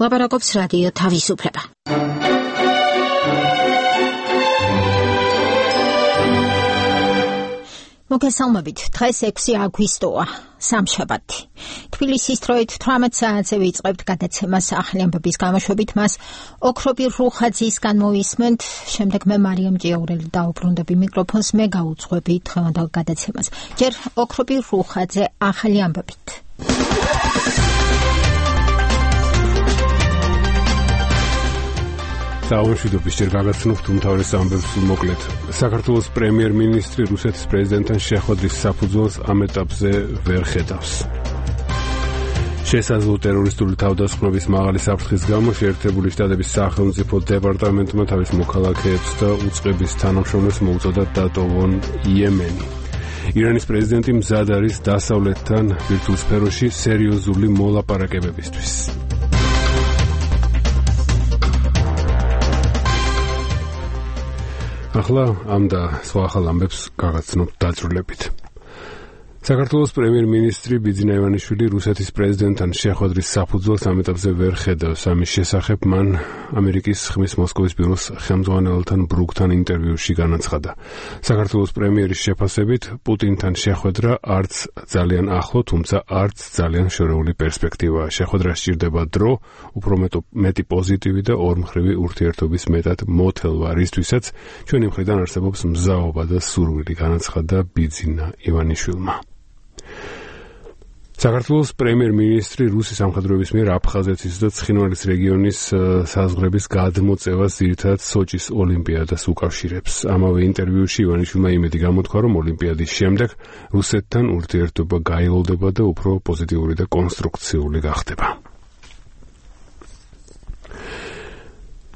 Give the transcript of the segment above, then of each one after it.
ლაპარაკობს რადიო თავისუფლება. მოგესალმებით, დღეს 6 აგვისტოა, სამშაბათი. თბილისის დროით 18 საათზე ვიწყებთ გადაცემას ახალი ამბების გამოშვებით, მას ოქრობი რუხაძისგან მოვისმენთ, შემდეგ მე მარიამ ჭიაურელი დაუბრუნდები მიკროფონს, მე გაუძღვები დღევანდელ გადაცემას. ჯერ ოქრობი რუხაძე ახალი ამბებით. საუბრობთ ჯერ გაგაცნობთ უმთავრეს ამბებს მოკლედ. საქართველოს პრემიერ-მინისტრი რუსეთის პრეზიდენტთან შეხვედრის საფუძველს ამ ეტაპზე ვერ ხედავს. შესაძლო ტერორისტული თავდასხმების მაღალი საფრთხის გამო შეერთებული შტატების სახელმწიფო დეპარტამენტმა თავის მოქალაქეებს და უწყების თანამშრომლებს მოუწოდა დატოვონ იემენი. ირანის პრეზიდენტი მზად არის დასავლეთთან ბირთვულ სფეროში სერიოზული მოლაპარაკებებისთვის. ახლა ამ და სხვა ახალ ამბებს გაგაცნობთ დაძრულებით. საქართველოს პრემიერ-მინისტრი ბიძინა ივანიშვილი რუსეთის პრეზიდენტთან შეხვედრის საფუძველს ამ ეტაპზე ვერ ხედავს. ამის შესახებ მან ამერიკის ხმის მოსკოვის ბიუროს ხელმძღვანელთან ბრუკთან ინტერვიუში განაცხადა. საქართველოს პრემიერის შეფასებით პუტინთან შეხვედრა არც ძალიან ახლო, თუმცა არც ძალიან შორეული პერსპექტივაა. შეხვედრას სჭირდება დრო, უფრო მეტი პოზიტივი და ორმხრივი ურთიერთობის მეტად მოთელვა, რისთვისაც ჩვენი მხრიდან არსებობს მზაობა და სურვილი, განაცხადა ბიძინა ივანიშვილმა. საქართველოს პრემიერ-მინისტრი რუსის სამხედროების მიერ აფხაზეთის და ცხინვალის რეგიონის საზღვრების გადმოწევას ძირითადად სოჭის ოლიმპიადას უკავშირებს. ამავე ინტერვიუში ივანიშვილმა იმედი გამოთქვა, რომ ოლიმპიადის შემდეგ რუსეთთან ურთიერთობა გაილოდება და უფრო პოზიტიური და კონსტრუქციული გახდება.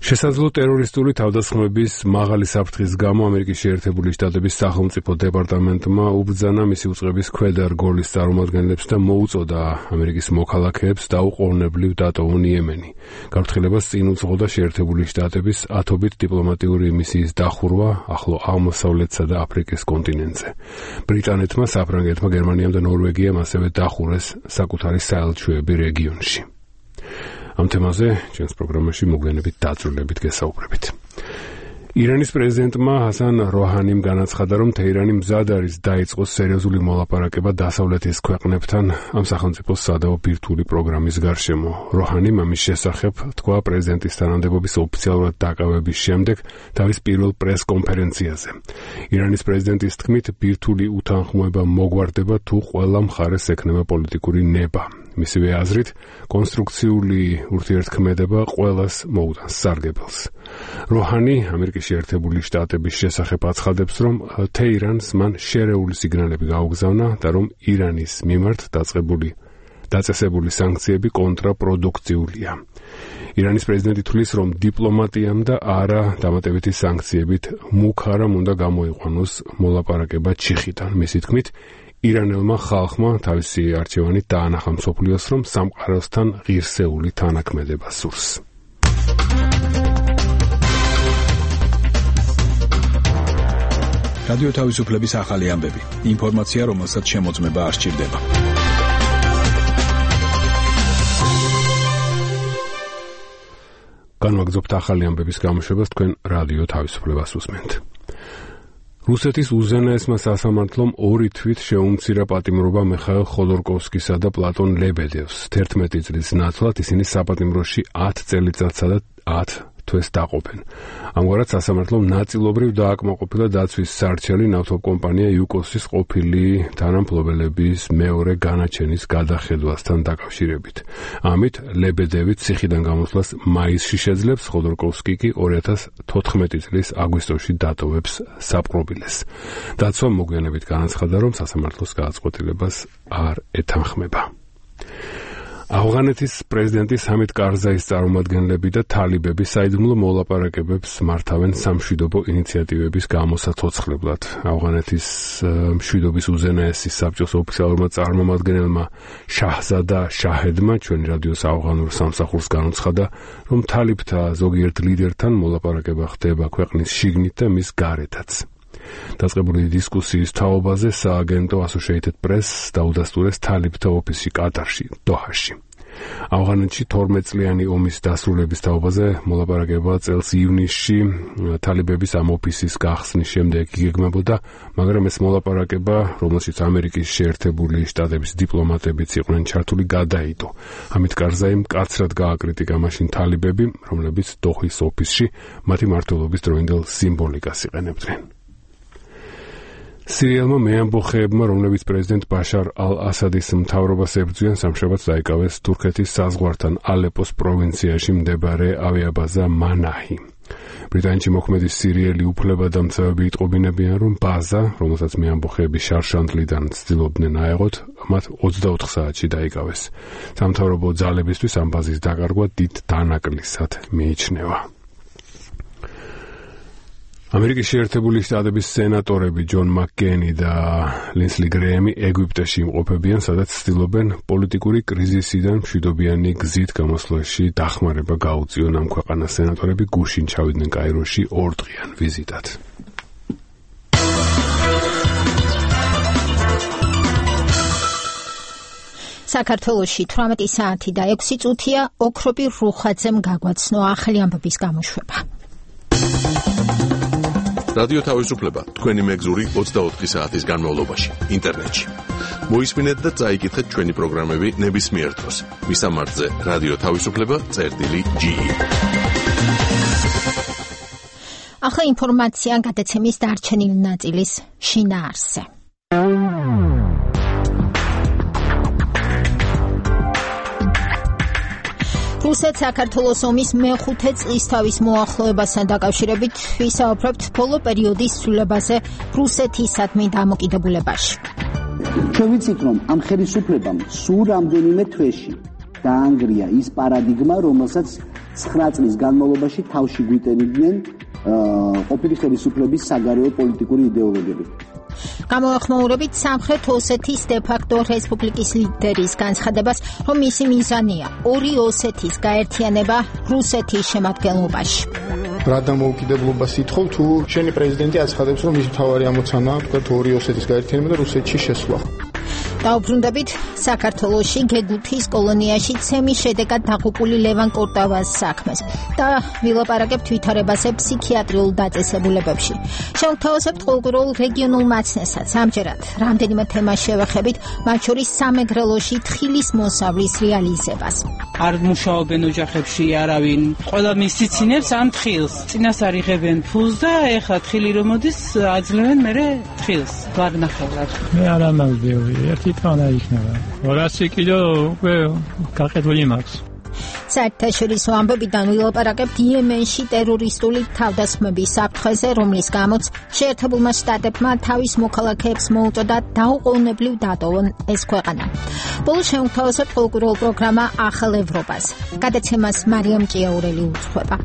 შესაძლო ტერორისტული თავდასხმების მაღალი საფრთხის გამო ამერიკის შეერთებული შტატების სახელმწიფო დეპარტამენტმა უბრძანა მისი უწყების ქვედა რგოლის წარმომადგენლებს და მოუწოდა ამერიკის მოქალაქეებს დაუყოვნებლივ დატოვონ იემენი. გაფრთხილებას წინ უძღოდა შეერთებული შტატების ათობით დიპლომატიური მისიის დახურვა ახლო აღმოსავლეთსა და აფრიკის კონტინენტზე. ბრიტანეთმა, საფრანგეთმა, გერმანიამ და ნორვეგიამ ასევე დახურეს საკუთარი საელჩოები რეგიონში. ამ თემაზე ჩვენს პროგრამაში მოგვიანებით დაძრულებით გესაუბრებით. ირანის პრეზიდენტმა ჰასან როჰანიმ განაცხადა, რომ თეირანი მზად არის დაიწყოს სერიოზული მოლაპარაკება დასავლეთის ქვეყნებთან ამ სახელმწიფოს სადავო ბირთვული პროგრამის გარშემო. როჰანიმ ამის შესახებ თქვა პრეზიდენტის თანამდებობის ოფიციალურად დაკავების შემდეგ თავის პირველ პრესკონფერენციაზე. ირანის პრეზიდენტის თქმით, ბირთვული უთანხმოება მოგვარდება თუ ყველა მხარეს ექნება პოლიტიკური ნება. მისივე აზრით, კონსტრუქციული ურთიერთქმედება ყველას მოუტანს სარგებელს. როჰანი ამერიკის შეერთებული შტატების შესახებ აცხადებს, რომ თეირანს მან შერეული სიგნალები გაუგზავნა და რომ ირანის მიმართ დაწესებული სანქციები კონტრაპროდუქციულია. ირანის პრეზიდენტი თვლის, რომ დიპლომატიამ და არა დამატებითი სანქციებით მუქარამ უნდა გამოიყვანოს მოლაპარაკება ჩიხიდან. მისი თქმით, ირანელმა ხალხმა თავისი არჩევანით დაანახა მსოფლიოს, რომ სამყაროსთან ღირსეული თანაქმედება სურს. რადიო თავისუფლების ახალი ამბები. ინფორმაცია, რომელსაც შემოწმება არ სჭირდება. განვაგრძობთ ახალი ამბების გამოშვებას, თქვენ რადიო თავისუფლებას უსმენთ. რუსეთის უზენაესმა სასამართლომ 2 თვით შეუმცირა პატიმრობა მიხაილ ხოდორკოვსკისა და პლატონ ლებედევს. 11 წლის ნაცვლად ისინი საპატიმროში 10 წელიწადსა და 10 თვეს დაყოფენ. ამგვარად სასამართლომ ნაწილობრივ დააკმაყოფილა დაცვის სარჩელი ნავთობკომპანია იუკოსის ყოფილი თანამფლობელების მეორე განაჩენის გადახედვასთან დაკავშირებით. ამით ლებედევი ციხიდან გამოსვლას მაისში შეძლებს, ხოდორკოვსკი კი 2014 წლის აგვისტოში დატოვებს საპყრობილეს. დაცვა მოგვიანებით განაცხადა, რომ სასამართლოს გადაწყვეტილებას არ ეთანხმება. ავღანეთის პრეზიდენტი სამით კარზაის წარმომადგენლები და თალიბები საიდუმლო მოლაპარაკებებს მართავენ სამშვიდობო ინიციატივების გამოსაცოცხლებლად. ავღანეთის მშვიდობის უზენაესი საბჭოს ოფიციალურმა წარმომადგენელმა შაჰზადა შაჰედმა ჩვენი რადიოს ავღანურ სამსახურს განუცხადა, რომ თალიბთა ზოგიერთ ლიდერთან მოლაპარაკება ხდება ქვეყნის შიგნით და მის გარეთაც. დაწყებული დისკუსიის თაობაზე სააგენტო Associated Press დაუდასტურეს თალიბთა ოფისში კატარში, დოჰაში. ავღანეთში 12 წლიანი ომის დასრულების თაობაზე მოლაპარაკება წელს ივნისში თალიბების ამ ოფისის გახსნის შემდეგ იგეგმებოდა, მაგრამ ეს მოლაპარაკება, რომელშიც ამერიკის შეერთებული შტატების დიპლომატებიც იყვნენ ჩართული, გადაიდო. ამით კარზაიმ მკაცრად გააკრიტიკა მაშინ თალიბები, რომლებიც დოხის ოფისში მათი მმართველობის დროინდელ სიმბოლიკას იყენებდნენ. სირიელმა მეამბოხეებმა, რომლებიც პრეზიდენტ ბაშარ ალ-ასადის მთავრობას ებრძვიან, სამშაბათს დაიკავეს თურქეთის საზღვართან ალეპოს პროვინციაში მდებარე ავიაბაზა მანაჰი. ბრიტანეთში მოქმედი სირიელი უფლებადამცავები იტყობინებიან, რომ ბაზა, რომელსაც მეამბოხეები შარშანდლიდან ცდილობდნენ აეღოთ, მათ 24 საათში დაიკავეს. სამთავრობო ძალებისთვის ამ ბაზის დაკარგვა დიდ დანაკლისად მიიჩნევა. ამერიკის შეერთებული შტატების სენატორები ჯონ მაკკეინი და ლინსლი გრეემი ეგვიპტეში იმყოფებიან, სადაც ცდილობენ პოლიტიკური კრიზისიდან მშვიდობიანი გზით გამოსვლაში დახმარება გაუწიონ. ამ ქვეყანას სენატორები გუშინ ჩავიდნენ კაიროში 2 დღიან ვიზიტად. საქართველოში 18 საათი და 6 წუთია ოქრობი რუხაძემ გაგვაცნო ახალი ამბების გამოშვება. რადიო თავისუფლება თქვენი მეგზური 24 საათის განმავლობაში ინტერნეტში. მოისმინეთ და წაიკითხეთ ჩვენი პროგრამები ნებისმიერ დროს. მისამართზე რადიო თავისუფლება.ge. ახლა ინფორმაცია გადაცემის დარჩენილი ნაწილის შინაარსზე. რუსეთ-საქართველოს ომის მეხუთე წლისთავის მოახლოებასთან დაკავშირებით ვისაუბრებთ ბოლო პერიოდის ცვლილებაზე რუსეთისადმი დამოკიდებულებაში. ჩვენ ვიცით, რომ ამ ხელისუფლებამ სულ რამდენიმე თვეში დაანგრია ის პარადიგმა, რომელსაც 9 წლის განმავლობაში თავში გვიტენდნენ ყოფილი ხელისუფლების საგარეო პოლიტიკური იდეოლოგები. გამოეხმაურებით სამხრეთ ოსეთის დე-ფაქტო რესპუბლიკის ლიდერის განცხადებას, რომ მისი მიზანია ორი ოსეთის გაერთიანება რუსეთის შემადგენლობაში. რა დამოუკიდებლობას ითხოვ, თუ შენი პრეზიდენტი აცხადებს, რომ ის მთავარი ამოცანაა ორი ოსეთის გაერთიანება და რუსეთში შესვლა. დაუბრუნდებით საქართველოში გეგუთის კოლონიაში ცემის შედეგად დაღუპული ლევან კორტავას საქმეს და ვილაპარაკებთ ვითარებაზე ფსიქიატრიულ დაწესებულებებში. შევთავაზებთ ყოველგვარულ რეგიონულ მაცნესაც. ამჯერად რამდენიმე თემას შევეხებით, მათ შორის სამეგრელოში თხილის მოსავლის რეალიზებას. არ მუშაობენ ოჯახებში არავინ. ყველა მისცინებს ამ თხილს. წინასწარ იღებენ ფულს და ეხლა თხილი რომ მოდის, აძლევენ მერე თხილს. ვაგნახევრად. მე არ ამავდები, ერთი თანა იქნება. 200 კილო უკვე გაყიდული მაქვს. საერთაშორისო ამბებიდან ვილაპარაკებთ იემენში ტერორისტული თავდასხმების საფრთხეზე, რომლის გამოც შეერთებულმა შტატებმა თავის მოქალაქეებს მოუწოდა დაუყოვნებლივ დატოვონ ეს ქვეყანა. ბოლოს შევთავაზებთ ყოველკვირეულ პროგრამა ახალ ევროპას. გადაცემას მარიამ ჭიაურელი უძღვება.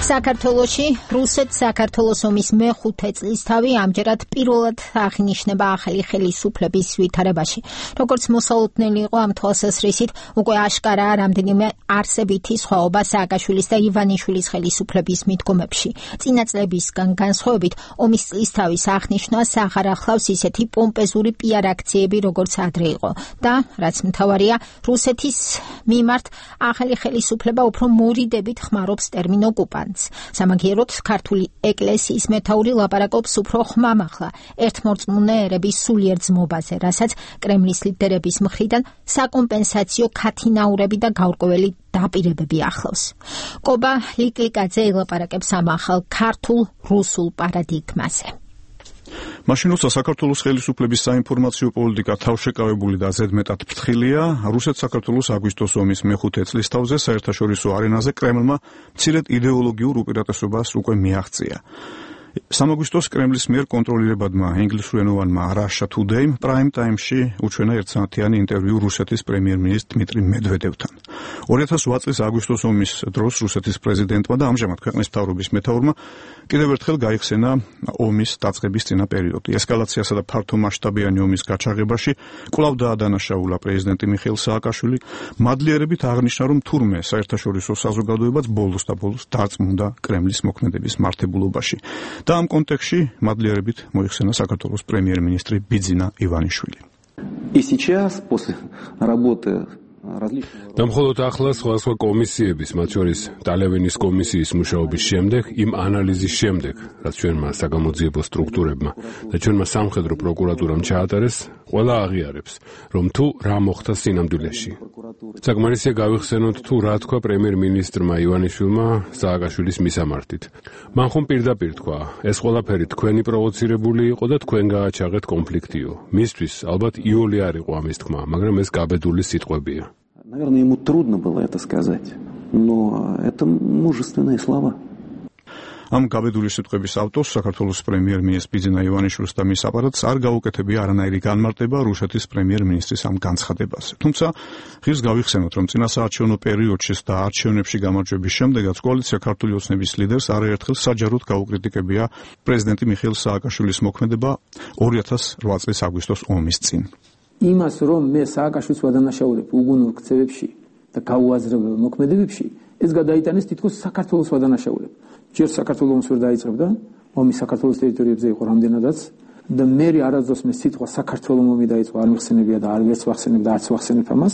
საქართველოში რუსეთ-საქართველოს ომის მეხუთე წლისთავი ამჯერად პირველად აღინიშნება ახალი ხელისუფლების ვითარებაში. როგორც მოსალოდნელი იყო ამ თვალსაზრისით, უკვე აშკარაა რამდენიმე არსებითი სხვაობა სააკაშვილის და ივანიშვილის ხელისუფლების მიდგომებში. წინა წლებისგან განსხვავებით, ომის წლისთავის აღნიშვნას აღარ ახლავს ისეთი პომპეზური პიარ აქციები, როგორც ადრე იყო და რაც მთავარია, რუსეთის მიმართ ახალი ხელისუფლება უფრო მორიდებით ხმარობს ტერმინ ოკუპანტს. სამაგიეროდ ქართული ეკლესიის მეთაური ლაპარაკობს უფრო ხმამაღლა ერთმორწმუნე ერების სულიერ ძმობაზე, რასაც კრემლის ლიდერების მხრიდან საკომპენსაციო ქათინაურები და გაურკვეველი დაპირებები ახლავს. კობა ლიკლიკაძე ელაპარაკებს ამ ახალ ქართულ-რუსულ პარადიგმაზე. მაშინ როცა საქართველოს ხელისუფლების საინფორმაციო პოლიტიკა თავშეკავებული და ზედმეტად ფრთხილია, რუსეთ-საქართველოს აგვისტოს ომის მეხუთე წლისთავზე საერთაშორისო არენაზე კრემლმა მცირედ იდეოლოგიურ უპირატესობას უკვე მიაღწია. სამაგვისტოს კრემლის მიერ კონტროლირებადმა ინგლისურენოვანმა Russia Today Prime Time-ში უჩვენა ერთსაათიანი ინტერვიუ რუსეთის პრემიერ-მინისტრ დმიტრი მედვედევთან. 2008 წლის აგვისტოს ომის დროს რუსეთის პრეზიდენტმა და ამჟამად ქვეყნის მთავრობის მეთაურმა კიდევ ერთხელ გაიხსენა ომის დაწყების წინა პერიოდი. ესკალაციასა და ფართომასშტაბიანი ომის გაჩაღებაში კვლავ დაადანაშაულა პრეზიდენტი მიხეილ სააკაშვილი. მადლიერებით აღნიშნა, რომ თურმე საერთაშორისო საზოგადოებაც ბოლოს და ბოლოს დარწმუნდა კრემლის მოქმედების მართებულობაში. და ამ კონტექსტში მადლიერებით მოიხსენა საქართველოს პრემიერ-მინისტრი ბიძინა ივანიშვილი. И сейчас, после работы და მხოლოდ ახლა სხვა კომისიების, მათ შორის ტალევინის კომისიის მუშაობის შემდეგ, იმ ანალიზის შემდეგ, რაც ჩვენმა საგამოძიებო სტრუქტურებმა და ჩვენმა სამხედრო პროკურატურამ ჩაატარეს, ყველა აღიარებს, რომ თუ რა მოხდა სინამდვილეში. საკმარისია გავიხსენოთ თუ რა თქვა პრემიერ-მინისტრმა ივანიშვილმა სააკაშვილის მისამართით. მან ხომ პირდაპირ თქვა, ეს ყველაფერი თქვენი პროვოცირებული იყო და თქვენ გააჩაღეთ კონფლიქტიო. მისთვის ალბათ იოლი არ იყო ამის თქმა, მაგრამ ეს გაბედული სიტყვებია. Наверное, ему трудно было это сказать, но это мужественные слова. Am გაბედული სიტყვების ავტორს საქართველოს პრემიერ-მინისტრი ბიძინა ივანიშვილს და მის აპარატს არ გაუკეთებია არანაირი განმარტება რუსეთის პრემიერ-მინისტრის ამ განცხადებაზე. თუმცა ღირს გავიხსენოთ, რომ წინასაარჩევნო პერიოდში და არჩევნებში გამარჯვების შემდეგაც კოალიცია ქართული ოცნების ლიდერს არაერთხელ საჯაროდ გაუკრიტიკებია პრეზიდენტი მიხეილ სააკაშვილის მოქმედება 2008 წლის აგვისტოს ომის წინ. იმას რომ მე სააკაშვილს ვადანაშაულებ უგუნურ ქცევებში და გაუაზრებელ მოქმედებებში ეს გადაიტანეს თითქოს საქართველოს ვადანაშაულებ. ჯერ საქართველოს ომს ვერ დაიწყებდა, ომი საქართველოს ტერიტორიებზე იყო რამდენადაც და მე არასდროს მე სიტყვა საქართველოს ომი დაიწყო არ მიხსენებია და არ ვერც ვახსენებ და არც ვახსენებ ამას,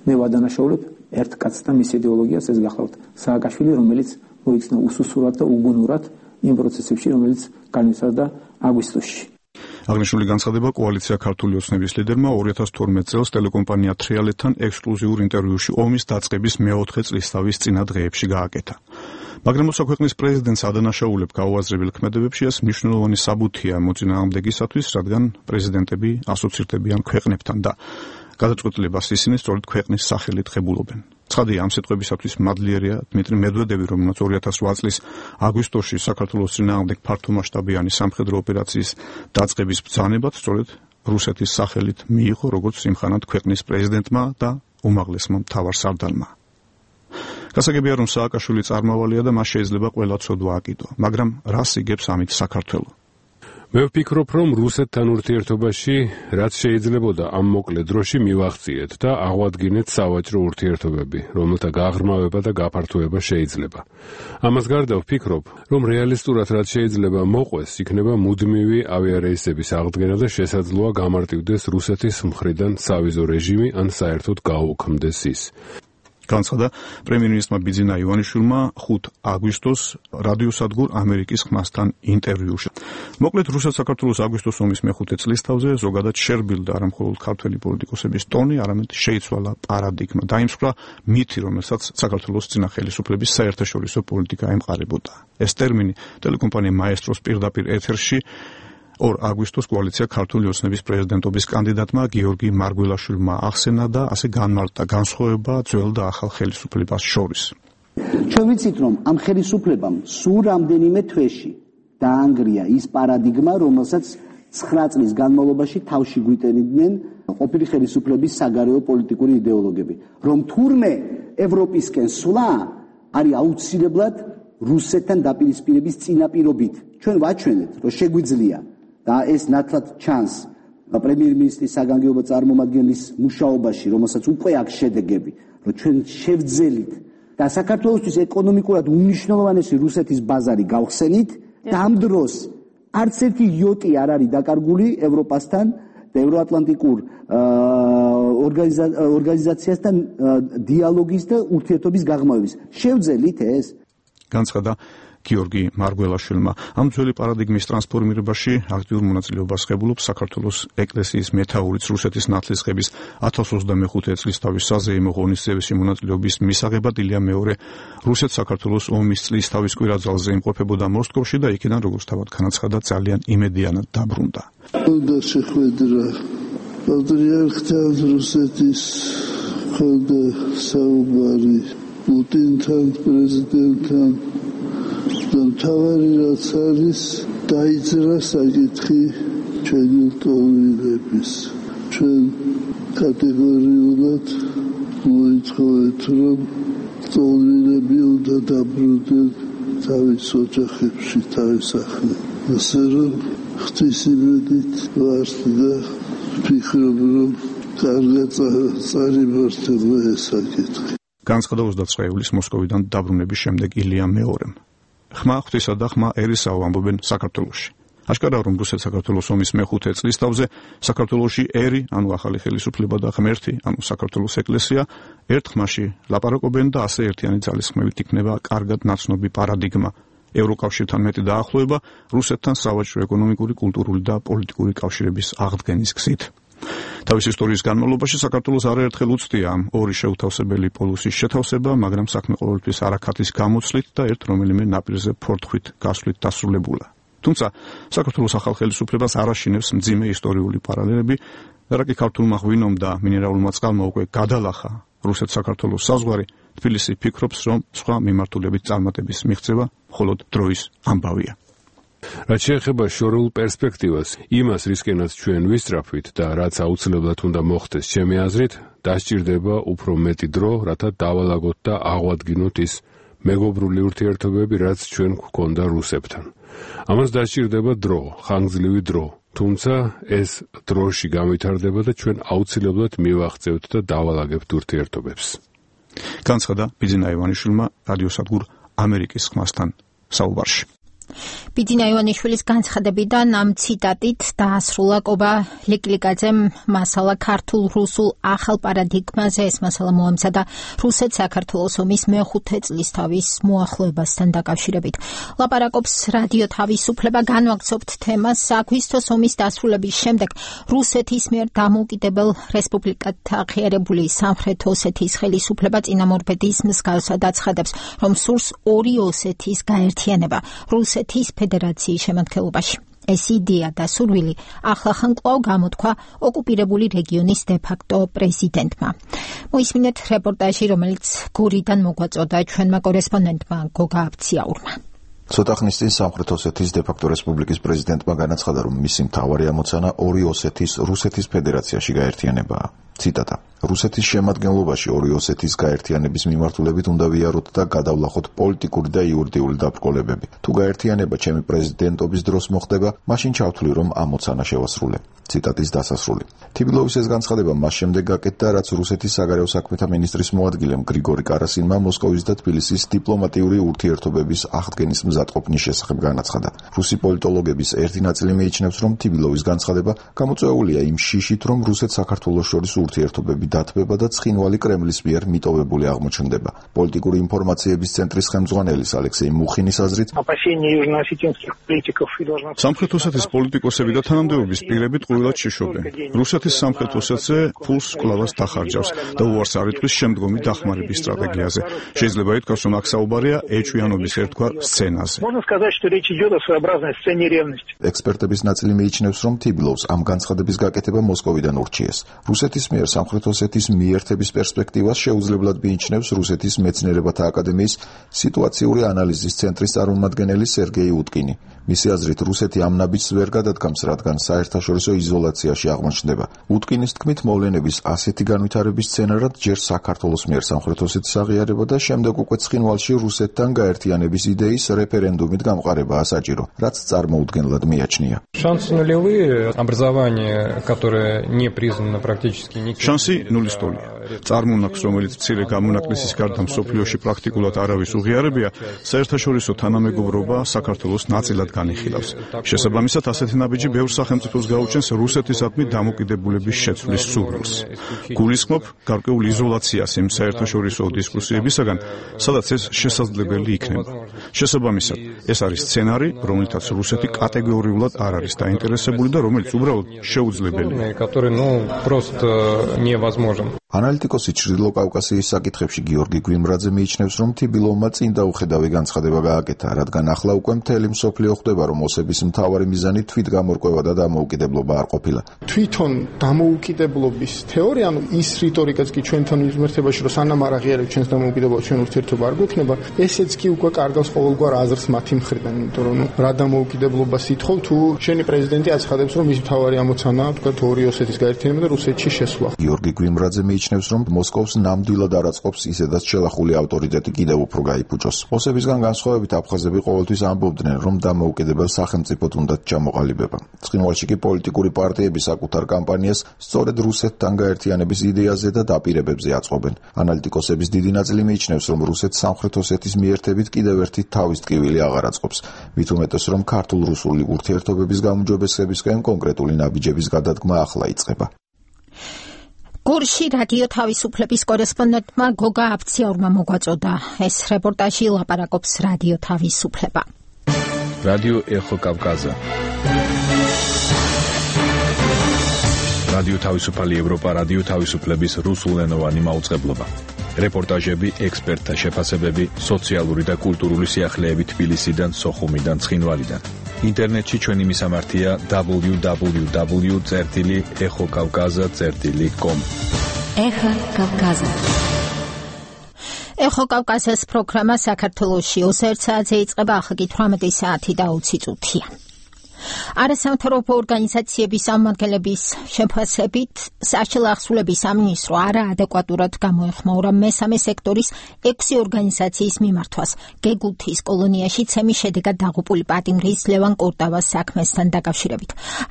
მე ვადანაშაულებ ერთ კაცს და მის იდეოლოგიას ეს გახლავთ სააკაშვილი, რომელიც მოიქცნა უსუსურად და უგუნურად იმ პროცესებში, რომელიც განვითარდა აგვისტოში. აღნიშნული განცხადება კოალიცია ქართული ოცნების ლიდერმა 2012 წელს ტელეკომპანია თრიალეთთან ექსკლუზიურ ინტერვიუში ომის დაწყების მეოთხე წლისთავის წინა დღეებში გააკეთა. მაგრამ როცა ქვეყნის პრეზიდენტს ადანაშაულებ გაუაზრებელ ქმედებებში, ეს მნიშვნელოვანი საბუთია მოწინააღმდეგისათვის, რადგან პრეზიდენტები ასოცირდებიან ქვეყნებთან და გადაწყვეტილებას ისინი სწორედ ქვეყნის სახელით ღებულობენ. ცხადია, ამ სიტყვებისათვის მადლიერია დმიტრი მედვედევი, რომელმაც 2008 წლის აგვისტოში საქართველოს წინააღმდეგ ფართომასშტაბიანი სამხედრო ოპერაციის დაწყების ბრძანებაც სწორედ რუსეთის სახელით მიიღო, როგორც იმხანად ქვეყნის პრეზიდენტმა და უმაღლესმა მთავარსარდალმა. გასაგებია, რომ სააკაშვილი წარმავალია და მას შეიძლება ყველა ცოდვა აკიდო, მაგრამ რას იგებს ამით საქართველო? მე ვფიქრობ, რომ რუსეთთან ურთიერთობაში რაც შეიძლებოდა ამ მოკლე დროში მივახციეთ და აღვადგინეთ სავაჭრო ურთიერთობები, რომელთა გაღრმავება და გაფართოება შეიძლება. ამას გარდა ვფიქრობ, რომ რეალისტურად რაც შეიძლება მოყვეს, იქნება მუდმივი ავიარეისების აღდგენა და შესაძლოა გამარტივდეს რუსეთის მხრიდან სავიზო რეჟიმი ან საერთოდ გაუქმდეს ის. განცხადა პრემიერ-მინისტრმა ბიძინა ივანიშვილმა 5 აგვისტოს რადიოსადგურ ამერიკის ხმასთან ინტერვიუში. მოკლედ, რუსეთ-საქართველოს აგვისტოს ომის მეხუთე წლისთავზე ზოგადად შერბილდა არა მხოლოდ ქართველი პოლიტიკოსების ტონი, არამედ შეიცვალა პარადიგმა, დაიმსხვრა მითი, რომელსაც საქართველოს წინა ხელისუფლების საერთაშორისო პოლიტიკა ემყარებოდა. ეს ტერმინი ტელეკომპანია მაესტროს პირდაპირ ეთერში 2 აგვისტოს კოალიცია ქართული ოცნების პრეზიდენტობის კანდიდატმა გიორგი მარგველაშვილმა ახსენა და ასე განმარტა განსხვავება ძველ და ახალ ხელისუფლებას შორის. ჩვენ ვიცით, რომ ამ ხელისუფლებამ სულ რამდენიმე თვეში დაანგრია ის პარადიგმა, რომელსაც 9 წლის განმავლობაში თავში გვიტენიდნენ ყოფილი ხელისუფლების საგარეო პოლიტიკური იდეოლოგები, რომ თურმე ევროპისკენ სვლა არის აუცილებლად რუსეთთან დაპირისპირების წინაპირობით. ჩვენ ვაჩვენეთ, რომ შეგვიძლია და ეს ნათლად ჩანს პრემიერ-მინისტრის საგანგებო წარმომადგენლის მუშაობაში, რომელსაც უკვე აქვს შედეგები, რომ ჩვენ შევძელით და საქართველოსთვის ეკონომიკურად უმნიშვნელოვანესი რუსეთის ბაზარი გავხსენით და ამ დროს არც ერთი იოტი არ არის დაკარგული ევროპასთან და ევროატლანტიკურ ორგანიზაციასთან დიალოგის და ურთიერთობის გაღრმავების. შევძელით ეს განცხადა გიორგი მარგველაშვილმა. ამ ძველი პარადიგმის ტრანსფორმირებაში აქტიურ მონაწილეობას ღებულობს საქართველოს ეკლესიის მეთაურიც რუსეთის ნათლისღების 1025 წლის თავის საზეიმო ღონისძიებაში მონაწილეობის მისაღებად ილია მეორე რუსეთ-საქართველოს ომის წლის თავის კვირაძალზე იმყოფებოდა მოსკოვში და იქიდან, როგორც თავად განაცხადა, ძალიან იმედიანად დაბრუნდა. უნდა შეხვედრა პატრიარქთან რუსეთის ხალხთა საუბარი პუტინთან პრეზიდენტთან და მთავარი რაც არის დაიძრა საკითხი ჩვენი ლტოლვილების. ჩვენ კატეგორიულად მოითხოვეთ, რომ ლტოლვილები უნდა დაბრუნდნენ თავის ოჯახებში, თავის სახლში. ასე რომ ღვთისმეტყველით ვართ და ვფიქრობ, რომ კარგად წარიმართება ეს საკითხი. განცხადა 29 ივლისს მოსკოვიდან დაბრუნების შემდეგ ილია მეორემ. ხმა ღვთისა და ხმა ერისაო ამბობენ საქართველოში. აშკარაა, რომ რუსეთ-საქართველოს ომის მეხუთე წლისთავზე საქართველოში ერი, ანუ ახალი ხელისუფლება და ღმერთი, ანუ საქართველოს ეკლესია, ერთ ხმაში ლაპარაკობენ და ასე ერთიანი ძალისხმევით იქნება კარგად ნაცნობი პარადიგმა. ევროკავშირთან მეტი დაახლოება რუსეთთან სავაჭრო, ეკონომიკური, კულტურული და პოლიტიკური კავშირების აღდგენის გზით. თავის ისტორიის განმავლობაში საქართველოს არაერთხელ უცდია ამ ორი შეუთავსებელი პოლუსის შეთავსება, მაგრამ საქმე ყოველთვის არაქათის გამოცვლით და ერთ რომელიმე ნაპირზე ფორთხვით გასვლით დასრულებულა. თუმცა საქართველოს ახალ ხელისუფლებას არ აშინებს მძიმე ისტორიული პარალელები, და კი ქართულმა ღვინომ და მინერალურმა წყალმა უკვე გადალახა რუსეთ-საქართველოს საზღვარი, თბილისი ფიქრობს, რომ სხვა მიმართულებით წარმატების მიღწევა მხოლოდ დროის ამბავია. რაც შეეხება შორეულ პერსპექტივას, იმას რისკენაც ჩვენ ვისწრაფვით და რაც აუცილებლად უნდა მოხდეს ჩემი აზრით, დასჭირდება უფრო მეტი დრო, რათა დავალაგოთ და აღვადგინოთ ის მეგობრული ურთიერთობები, რაც ჩვენ გვქონდა რუსებთან. ამას დასჭირდება დრო, ხანგრძლივი დრო, თუმცა ეს დროში გამვითარდება და ჩვენ აუცილებლად მივაღწევთ და დავალაგებთ ურთიერთობებს. განცხადა ბიძინა ივანიშვილმა რადიოსადგურ ამერიკის ხმასთან საუბარში. ბიძინა ივანიშვილის განცხადებიდან ამ ციტატით დაასრულა კობა ლიკლიკაძემ მასალა ქართულ-რუსულ ახალ პარადიგმაზე. ეს მასალა მოამზადა რუსეთ-საქართველოს ომის მეხუთე წლისთავის მოახლოებასთან დაკავშირებით. ლაპარაკობს რადიო თავისუფლება, განვაგრძობთ თემას აგვისტოს ომის დასრულების შემდეგ რუსეთის მიერ დამოუკიდებელ რესპუბლიკად აღიარებული სამხრეთ ოსეთის ხელისუფლება წინამორბედის მსგავსად აცხადებს, რომ სურს ორი ოსეთის გაერთიანება რუსეთის ფედერაციის შემადგენლობაში. ეს იდეა და სურვილი ახლახან კვლავ გამოთქვა ოკუპირებული რეგიონის დე-ფაქტო პრეზიდენტმა. მოისმინეთ რეპორტაჟი, რომელიც გურიდან მოგვაწოდა ჩვენმა კორესპონდენტმა გოგა აბციაურმა. ცოტა ხნის წინ სამხრეთ ოსეთის დე-ფაქტო რესპუბლიკის პრეზიდენტმა განაცხადა, რომ მისი მთავარი ამოცანა ორი ოსეთის რუსეთის ფედერაციაში გაერთიანებაა. ციტატა: რუსეთის შემადგენლობაში ორი ოსეთის გაერთიანების მიმართულებით უნდა ვიაროთ და გადავლახოთ პოლიტიკური და იურიდიული დაბრკოლებები. თუ გაერთიანება ჩემი პრეზიდენტობის დროს მოხდება, მაშინ ჩავთვლი, რომ ამოცანა შევასრულე. ციტატის დასასრული. თიბილოვის ეს განცხადება მას შემდეგ გაკეთდა, რაც რუსეთის საგარეო საქმეთა მინისტრის მოადგილემ გრიგორი კარასინმა მოსკოვის და თბილისის დიპლომატიური ურთიერთობების აღდგენის მზადყოფნის შესახებ განაცხადა. რუსი პოლიტოლოგების ერთი ნაწილი მიიჩნევს, რომ თიბილოვის განცხადება გამოწვეულია იმ შიშით, რომ რუსეთ-საქართველოს შორის ურთიერთობები დათბება და ცხინვალი კრემლის მიერ მიტოვებული აღმოჩნდება. პოლიტიკური ინფორმაციების ცენტრის ხელმძღვანელის ალექსეი მუხინის აზრით, სამხრეთ ოსეთის პოლიტიკოსები და თანამდებობის პირები ტყუილად შეშობენ. რუსეთის სამხრეთ ოსეთზე ფულს კვლავაც დახარჯავს და უარს არ იტყვის შემდგომი დახმარების სტრატეგიაზე. შეიძლება ითქვას, რომ აქ საუბარია ეჭვიანობის ერთგვარ სცენაზე. ექსპერტების ნაწილი მიიჩნევს, რომ თიბილოვს ამ განცხადების გაკეთება მოსკოვიდან ურჩიეს. რუსეთის მიერ სამხრეთ ოსეთის მიერთების პერსპექტივას შეუძლებლად მიიჩნევს რუსეთის მეცნიერებათა აკადემიის სიტუაციური ანალიზის ცენტრის წარმომადგენელი სერგეი უტკინი. მისი აზრით, რუსეთი ამ ნაბიჯს ვერ გადადგამს, რადგან საერთაშორისო იზოლაციაში აღმოჩნდება. უტკინის თქმით, მოვლენების ასეთი განვითარების სცენარად ჯერ საქართველოს მიერ სამხრეთ ოსეთის აღიარება და შემდეგ უკვე ცხინვალში რუსეთთან გაერთიანების იდეის რეფერენდუმით გამყარებაა საჭირო, რაც წარმოუდგენლად მიაჩნია. შანსი ნულის ტოლია. წარმონაქმს, რომელიც მცირე გამონაკლისის გარდა მსოფლიოში პრაქტიკულად არავის უღიარებია, საერთაშორისო თანამეგობრობა საქართველოს ნაწილად განიხილავს. შესაბამისად, ასეთი ნაბიჯი ბევრ სახელმწიფოს გაუჩენს რუსეთისადმი დამოკიდებულების შეცვლის სურვილს. გულისხმობ გარკვეულ იზოლაციას იმ საერთაშორისო დისკუსიებისაგან, სადაც ეს შესაძლებელი იქნება. შესაბამისად, ეს არის სცენარი, რომლითაც რუსეთი კატეგორიულად არ არის დაინტერესებული და რომელიც უბრალოდ შეუძლებელია. ანალიტიკოსი ჩრდილო კავკასიის საკითხებში გიორგი გვიმრაძე მიიჩნევს, რომ თიბილოვმა წინ დაუხედავი განცხადება გააკეთა, რადგან ახლა უკვე მთელი მსოფლიო ხვდება, რომ ოსების მთავარი მიზანი თვითგამორკვევა და დამოუკიდებლობა არ ყოფილა. თვითონ დამოუკიდებლობის თეორია, ანუ ის რიტორიკაც კი ჩვენთან იზმერთებაში, რომ სანამ არ აღიარებთ ჩვენს დამოუკიდებლობას, ჩვენ ურთიერთობა არ გვექნება, ესეც კი უკვე კარგავს ყოველგვარ აზრს მათი მხრიდან, იმიტომ რომ რა დამოუკიდებლობას ითხოვ, თუ შენი პრეზიდენტი აცხადებს, რომ მის მთავარი ამოცანაა, თქვა ორი ოსეთის გაერთიანება და რუსეთში შესვლა. გიორგი გვიმრაძე მიიჩნევს, რომ მოსკოვს ნამდვილად არ აწყობს ისედაც შელახული ავტორიტეტი კიდევ უფრო გაიფუჭოს. ოსებისგან განსხვავებით აფხაზები ყოველთვის ამბობდნენ, რომ დამოუკიდებელ სახელმწიფოდ უნდათ ჩამოყალიბება. ცხინვალში კი პოლიტიკური პარტიები საკუთარ კამპანიას სწორედ რუსეთთან გაერთიანების იდეაზე და დაპირებებზე აწყობენ. ანალიტიკოსების დიდი ნაწილი მიიჩნევს, რომ რუსეთს სამხრეთ ოსეთის მიერთებით კიდევ ერთი თავის ტკივილი აღარ აწყობს. მით უმეტეს, რომ ქართულ-რუსული ურთიერთობების გაუმჯობესებისკენ კონკრეტული ნაბიჯების გადადგმა ახლა იწყება. გურში რადიო თავისუფლების კორესპონდენტმა გოგა აფციაურმა მოგვაწოდა. ეს რეპორტაჟი ლაპარაკობს რადიო თავისუფლება. რადიო ეხო კავკაზა. რადიო თავისუფალი ევროპა რადიო თავისუფლების რუსულენოვანი მაუწყებლობა. რეპორტაჟები, ექსპერტთა შეფასებები, სოციალური და კულტურული სიახლეები თბილისიდან, სოხუმიდან, ცხინვალიდან. ინტერნეტში ჩვენი მისამართია www.exokavkaza.com. ეხო კავკაზა. ეხო კავკაზას პროგრამა საქართველოში 21 საათზე იწყება, ახლა კი 18 საათი და 20 წუთია. არასამთავრობო ორგანიზაციების წარმომადგენლების შეფასებით საშინაო ახსულების სამინისტრო არაადეკვატურად გამოეხმაურა მესამე სექტორის 6 ორგანიზაციის მიმართვას გეგუთის კოლონიაში ცემის შედეგად დაღუპული პატიმრის ლევან კორტავას საქმესთან დაკავშირებით.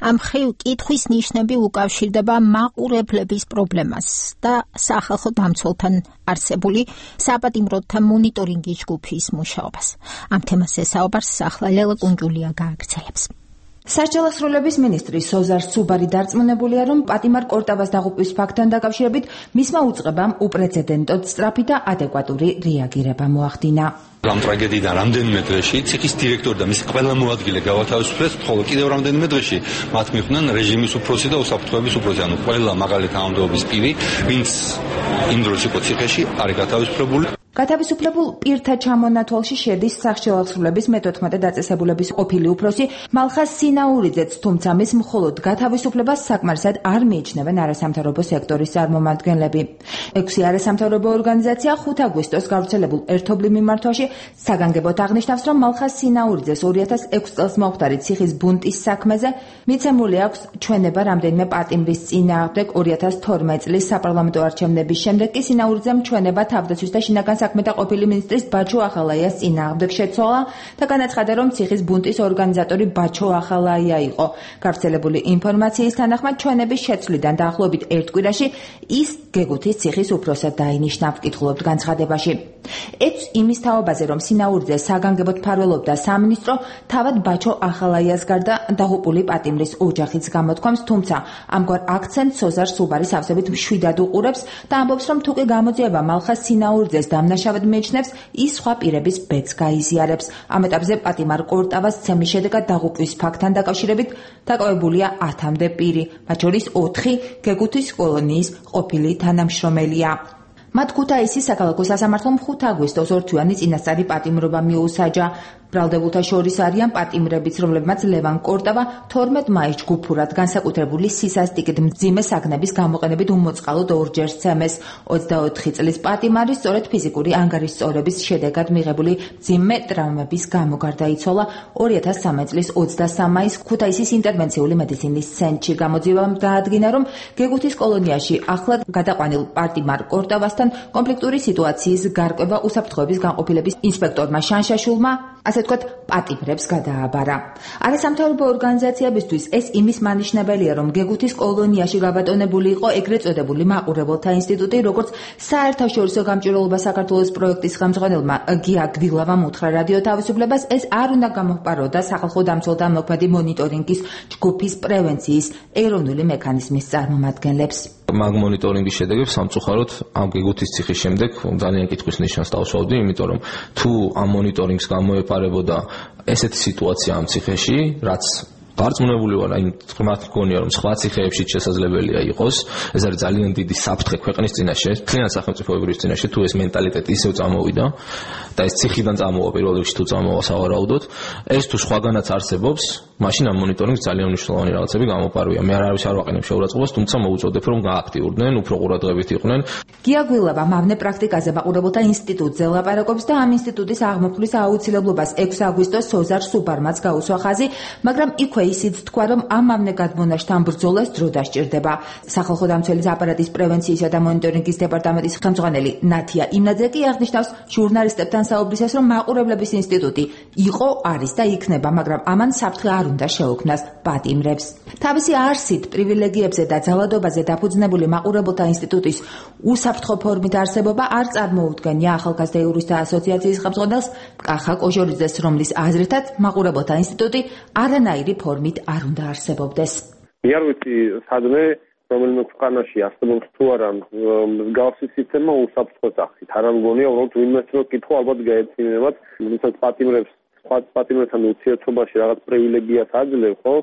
ამ მხრივ კითხვის ნიშნები უკავშირდება მაყურებლების პრობლემას და სახალხო დამცველთან არსებული საპატიმროთა მონიტორინგის ჯგუფის მუშაობას. ამ თემაზე საუბარს ახლა ლელა კუნჯულია გააგრძელებს. საშინაო ახსულების მინისტრი სოზარ სუბარი დარწმუნებულია, რომ პატიმარ კორტავას დაღუპვის ფაქტთან დაკავშირებით მისმა უწყებამ უპრეცედენტოდ სწრაფი და ადეკვატური რეაგირება მოახდინა. ამ ტრაგედიიდან რამდენიმე დღეში ციხის დირექტორი და მისი ყველა მოადგილე გავათავისუფლეს, ხოლო კიდევ რამდენიმე დღეში მათ მიხვდნენ რეჟიმის უფროსი და უსაფრთხოების უფროსი, ანუ ყველა მაღალი თანამდებობის პირი, ვინც იმ დროს იყო ციხეში, არის გათავისუფლებული. გათავისუფლებულ პირთა ჩამონათვალში შედის საშინაო ახსულების მე-14 დაწესებულების ყოფილი უფროსი მალხაზ სინაურიძეც, თუმცა მის მხოლოდ გათავისუფლებას საკმარისად არ მიიჩნევენ არასამთავრობო სექტორის წარმომადგენლები. 6 არასამთავრობო ორგანიზაცია 5 აგვისტოს გავრცელებულ ერთობლივ მიმართვაში საგანგებოდ აღნიშნავს, რომ მალხაზ სინაურიძეს 2006 წელს მომხდარი ციხის ბუნტის საქმეზე მიცემული აქვს ჩვენება რამდენიმე პატიმრის წინააღმდეგ. 2012 წლის საპარლამენტო არჩევნების შემდეგ კი სინაურიძემ ჩვენება თავდაცვის და შინაგან საქმეთა ყოფილი მინისტრის ბაჩო ახალაიას წინააღმდეგ შეცვალა და განაცხადა, რომ ციხის ბუნტის ორგანიზატორი ბაჩო ახალაია იყო. გავრცელებული ინფორმაციის თანახმად ჩვენების შეცვლიდან დაახლოებით ერთ კვირაში ის გეგუთის ციხის უფროსად დაინიშნა, ვკითხულობთ განცხადებაში. ეც იმის თაობაზე, რომ სინაურიძე საგანგებოდ მფარველობდა სამინისტრო, თავად ბაჩო ახალაიას გარდა დაღუპული პატიმრის ოჯახიც გამოთქვამს, თუმცა ამგვარ აქცენტს სოზარ სუბარი სავსებით მშვიდად უყურებს და ამბობს, რომ თუ კი გამოძიება მალხაზ სინაურიძეს დამნაშავედ მიიჩნევს, ის სხვა პირების ბედს გაიზიარებს. ამ ეტაპზე პატიმარ კორტავას ცემის შედეგად დაღუპვის ფაქტთან დაკავშირებით დაკავებულია 10-მდე პირი, მათ შორის 4 გეგუთის კოლონიის ყოფილი თანამშრომელია. მათ ქუთაისის საქალაქო სასამართლომ 5 აგვისტოს ორთვიანი წინასწარი პატიმრობა მიუსაჯა. ბრალდებულთა შორის არიან პატიმრებიც, რომლებმაც ლევან კორტავა 12 მაისს ჯგუფურად განსაკუთრებული სისასტიკით მძიმე საგნების გამოყენებით უმოწყალოდ ორჯერ სცემეს. 24 წლის პატიმარი სწორედ ფიზიკური ანგარიშწორების შედეგად მიღებული მძიმე ტრავმების გამო გარდაიცვალა 2013 წლის 23 მაისს ქუთაისის ინტერვენციული მედიცინის ცენტრში. გამოძიებამ დაადგინა, რომ გეგუთის კოლონიაში ახლად გადაყვანილ პატიმარ კორტავასთან კონფლიქტური სიტუაციის გარკვევა უსაფრთხოების განყოფილების ინსპექტორმა შანშაშულმა ასე ვთქვათ, პატიმრებს გადააბარა. არასამთავრობო ორგანიზაციებისთვის ეს იმის მანიშნებელია, რომ გეგუთის კოლონიაში გაბატონებული იყო ეგრეთ წოდებული მაყურებელთა ინსტიტუტი, როგორც საერთაშორისო გამჭვირვალობა საქართველოს პროექტის ხელმძღვანელმა გია გვილავამ უთხრა რადიო თავისუფლებას, ეს არ უნდა გამოჰყაროდა სახალხო დამცველთა მოქმედი მონიტორინგის ჯგუფის პრევენციის ეროვნული მექანიზმის წარმომადგენლებს. მაგ მონიტორინგის შედეგებს სამწუხაროდ ამ გეგუთის ციხის შემდეგ ძალიან კითხვის ნიშანს დავსვავდი, იმიტომ რომ თუ ამ მონიტორინგს გამოეპარებოდა ესეთი სიტუაცია ამ ციხეში, რაც დარწმუნებული ვარ, აი თქმათ მგონია რომ სხვა ციხეებში შესაძლებელია იყოს, ეს არის ძალიან დიდი საფრთხე ქვეყნის წინაშე, მთლიან სახელმწიფოების წინაშე, თუ ეს მენტალიტეტი ისევ წამოვიდა და ეს ციხიდან წამოვა პირველ რიგში თუ წამოვა სავარაუდოდ, ეს თუ სხვაგანაც არსებობს, მაშინ ამ მონიტორინგს ძალიან მნიშვნელოვანი რაღაცები გამოპარვია. მე არავის არ ვაყენებ შეურაცხყოფას, თუმცა მოუწოდებ რომ გააქტიურდნენ, უფრო ყურადღებით იყვნენ. გია გვილავა მავნე პრაქტიკაზე მაყურებელთა ინსტიტუტზე ლაპარაკობს და ამ ინსტიტუტის აღმოფხვის აუცილებლობას 6 აგვისტოს სოზარ სუბარმაც გაუსვა ხაზი, მაგრამ იქვე ისიც თქვა, რომ ამავე გადმონაშთთან ბრძოლას დრო დასჭირდება. სახალხო დამცველის აპარატის პრევენციისა და მონიტორინგის დეპარტამენტის ხელმძღვანელი ნათია იმნაძე კი აღნიშნავს ჟურნალისტებთან საუბრისას, რომ მაყურებლების ინსტიტუტი იყო, არის და იქნება, მაგრამ ამან საფრთხე არ უნდა შეუქმნას პატიმრებს. თავისი არსით, პრივილეგიებზე და ძალადობაზე დაფუძნებული მაყურებელთა ინსტიტუტის უსაფრთხო ფორმით არსებობა არ წარმოუდგენია ახალგაზრდა იურისტთა ასოციაციის ხელმძღვანელს კახა კოჟორიძეს, რომლის აზრითაც მაყურებელთა ინსტიტუტი არანაირი ფორმით არ უნდა არსებობდეს. მე არ ვიცი, სადმე რომელიმე ქვეყანაში არსებობს თუ არა მსგავსი სისტემა უსაფრთხო სახით. არ მგონია, უბრალოდ ვინმეს რო კითხო, ალბათ გაეცინებათ, როდესაც პატიმრებთან ურთიერთობაში რაღაც პრივილეგიას აძლევ, ხო?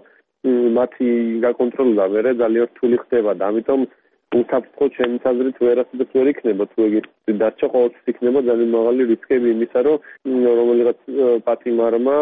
მათი გაკონტროლება მერე ძალიან რთული ხდება და ამიტომ უსაფრთხო ჩემს აზრით ვერასოდეს ვერ იქნება, თუ ეგ დარჩა ყოველთვის იქნება ძალიან მაღალი რისკები იმისა, რომ რომელიღაც პატიმარმა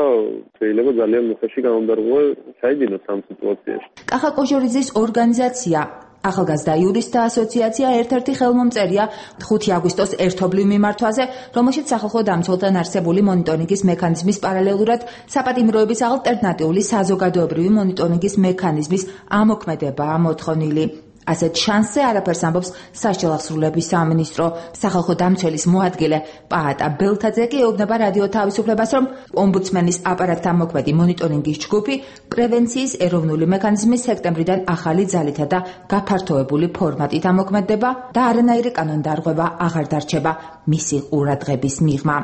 შეიძლება ძალიან მუხეში გამომდარღვე ჩაიდინოს ამ სიტუაციაში. კახა კოჟორიძის ორგანიზაცია ახალგაზრდა იურისტთა ასოციაცია ერთ-ერთი ხელმომწერია 5 აგვისტოს ერთობლივ მიმართვაზე, რომელშიც სახალხო დამცველთან არსებული მონიტორინგის მექანიზმის პარალელურად საპატიმროების ალტერნატიული საზოგადოებრივი მონიტორინგის მექანიზმის ამოქმედებაა მოთხოვნილი. ასეთ შანსზე არაფერს ამბობს სასჯელ აღსრულების სამინისტრო. სახალხო დამცველის მოადგილე პაატა ბელთაძე კი ეუბნება რადიო თავისუფლებას, რომ ომბუდსმენის აპარატთან მოქმედი მონიტორინგის ჯგუფი პრევენციის ეროვნული მექანიზმის სექტემბრიდან ახალი ძალითა და გაფართოებული ფორმატით ამოქმედდება და არანაირი კანონდარღვევა აღარ დარჩება მისი ყურადღების მიღმა.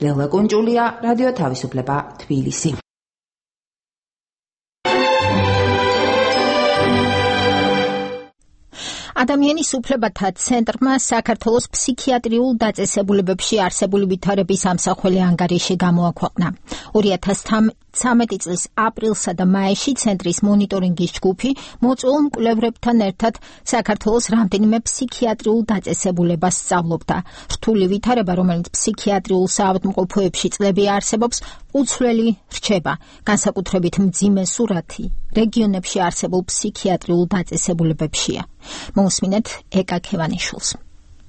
ლელა კუნჭულია, რადიო თავისუფლება, თბილისი. ადამიანის უფლებათა ცენტრმა საქართველოს ფსიქიატრიულ დაწესებულებებში არსებული ვითარების ამსახველი ანგარიში გამოაქვეყნა. 2013 წლის აპრილსა და მაისში ცენტრის მონიტორინგის ჯგუფი მოწვეულ მკვლევრებთან ერთად საქართველოს რამდენიმე ფსიქიატრიულ დაწესებულებას სწავლობდა. რთული ვითარება, რომელიც ფსიქიატრიულ საავადმყოფოებში წლები არსებობს, უცვლელი რჩება. განსაკუთრებით მძიმე სურათი რეგიონებში არსებულ ფსიქიატრიულ დაწესებულებებშია. მოусმინეთ ეკა ქევანიშვილს.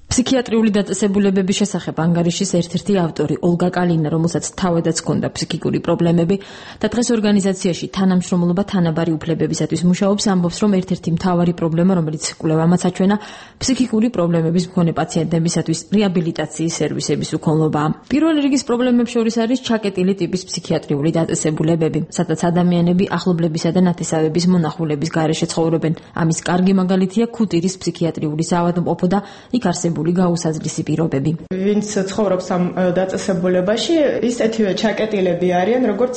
ფსიქიატრიული დაწესებულებების შესახებ ანგარიშის ერთ-ერთი ავტორი ოლგა კალინა, რომელსაც თავადაც ჰქონდა ფსიქიკური პრობლემები და დღეს ორგანიზაციაში თანამშრომლობა თანაბარი უფლებებისათვის მუშაობს, ამბობს, რომ ერთ-ერთი მთავარი პრობლემა, რომელიც კვლევამაც აჩვენა, ფსიქიკური პრობლემების მქონე პაციენტებისათვის რეაბილიტაციის სერვისების უქონლობაა. პირველი რიგის პრობლემებს შორის არის ჩაკეტილი ტიპის ფსიქიატრიული დაწესებულებები, სადაც ადამიანები ახლობლებისა და ნათესავების მონახულების გარეშე ცხოვრობენ. ამის კარგი მაგალითია ქუთირის ფსიქიატრიული საავადმყოფო და იქ არსებული გაუსაზრისი პირობები. ვინც ცხოვრობს ამ დაწესებულებაში, ისეთივე ჩაკეტილები არიან, როგორც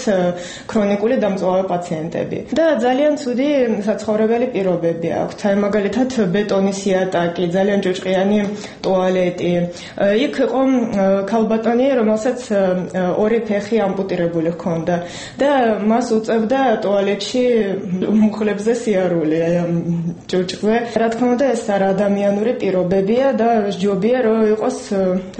ქრონიკული დამწვავე პაციენტები. და ძალიან ცუდი საცხოვრებელი პირობები აქვთ. აი მაგალითად ბეტონის იატაკი, ძალიან ჭუჭყიანი ტუალეტი. იქ იყო ქალბატონი, რომელსაც ორი ფეხი ამპუტირებული ჰქონდა და მას უწევდა ტუალეტში მუხლებზე სიარული, აი ამ ჭუჭყზე. რა თქმა უნდა, ეს არაადამიანური პირობებია და ჯობია რომ იყოს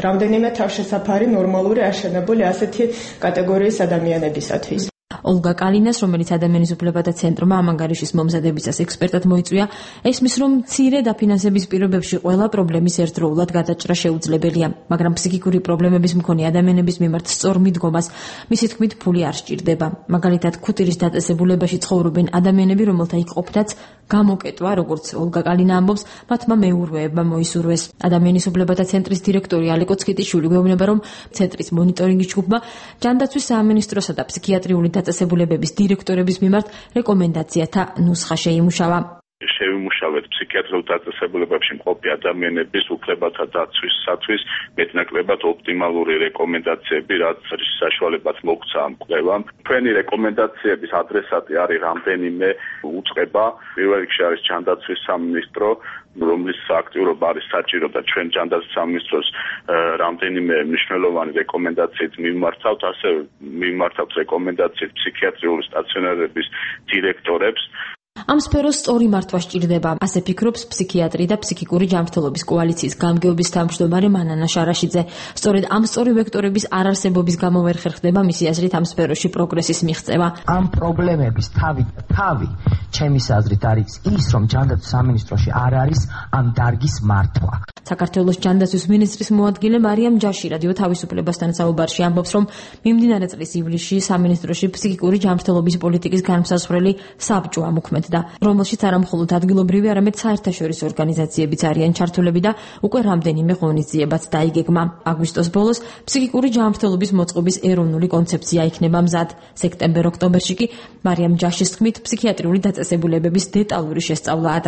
რამდენიმე თავშესაფარი ნორმალური აშენებული ასეთი კატეგორიის ადამიანებისათვის. ოლგა კალინას, რომელიც ადამიანის უფლებათა ცენტრმა ამ ანგარიშის მომზადებისას ექსპერტად მოიწვია, ესმის, რომ მცირე დაფინანსების პირობებში ყველა პრობლემის ერთდროულად გადაჭრა შეუძლებელია, მაგრამ ფსიქიკური პრობლემების მქონე ადამიანების მიმართ სწორ მიდგომას მისი თქმით ფული არ სჭირდება. მაგალითად, ქუთირის დაწესებულებაში ცხოვრობენ ადამიანები, რომელთა იქ ყოფნაც გამოკეტვა, როგორც ოლგა კალინა ამბობს, მათმა მეურვეებმა მოისურვეს. ადამიანის უფლებათა ცენტრის დირექტორი ალეკო ცკიტიშვილი გვეუბნება, რომ ცენტრის მონიტორინგის ჯგუფმა ჯანდაცვის სამინისტროსა და ფსიქიატრიული დაწესებულებების დირექტორების მიმართ რეკომენდაციათა ნუსხა შეიმუშავა. შევიმუშავეთ ფსიქიატრიულ დაწესებულებებში მყოფი ადამიანების უფლებათა დაცვისათვის მეტნაკლებად ოპტიმალური რეკომენდაციები, რაც საშუალებაც მოგვცა ამ კვლევამ. თქვენი რეკომენდაციების ადრესატი არის რამდენიმე უწყება. პირველ რიგში არის ჯანდაცვის სამინისტრო, რომლის აქტიურობა არის საჭირო და ჩვენ ჯანდაცვის სამინისტროს რამდენიმე მნიშვნელოვანი რეკომენდაციით მიმართავთ, ასევე მიმართავთ რეკომენდაციით ფსიქიატრიული სტაციონარების დირექტორებს. ამ სფეროს სწორი მართვა სჭირდება, ასე ფიქრობს ფსიქიატრი და ფსიქიკური ჯანმრთელობის კოალიციის გამგეობის თავმჯდომარე მანანა შარაშიძე. სწორედ ამ სწორი ვექტორების არარსებობის გამო ვერ ხერხდება მისი აზრით ამ სფეროში პროგრესის მიღწევა. ამ პრობლემების თავი ჩემი აზრით არის ის, რომ ჯანდაცვის სამინისტროში არ არის ამ დარგის მართვა. საქართველოს ჯანდაცვის მინისტრის მოადგილე მარიამ ჯაში რადიო თავისუფლებასთან საუბარში ამბობს, რომ მიმდინარე წლის ივლისში სამინისტროში ფსიქიკური ჯანმრთელობის პოლიტიკის განმსაზღვრელი საბჭო ამოქმედდა, რომელშიც არა მხოლოდ ადგილობრივი, არამედ საერთაშორისო ორგანიზაციებიც არიან ჩართულები და უკვე რამდენიმე ღონისძიებაც დაიგეგმა. აგვისტოს ბოლოს ფსიქიკური ჯანმრთელობის მოწყობის ეროვნული კონცეფცია იქნება მზად. სექტემბერ-ოქტომბერში კი მარიამ ჯაშის თქმით ფსიქიატრიული დაწესებულებების დეტალური შესწავლაა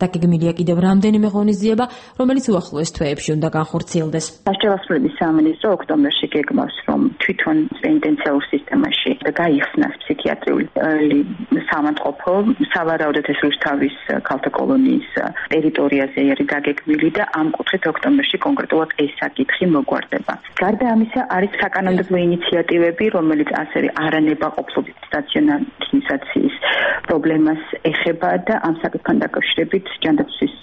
დაგეგმილია კიდევ რამდენიმე ღონისძიება, რომელიც უახლოეს თვეებში უნდა განხორციელდეს. სასჯელოსნობის სამინისტრო ოქტომბერში გეგმავს, რომ თვითონ პენიტენციალურ სისტემაში გაიხსნას ფსიქიატრიული სამანტყოფო, სავარაუდოდ ეს რუსთავის ქალთა კოლონიის ტერიტორიაზე არის დაგეგმილი და ამ კუთხით ოქტომბერში კონკრეტულად ეს საკითხი მოგვარდება. გარდა ამისა არის საკანონმდებლო ინიციატივები, რომელიც ასევე არანებაყოფლობის სტაციონარიზაციის პრობლემას ეხება და ამ საკითხთან დაკავშირებით ჯანდაცვის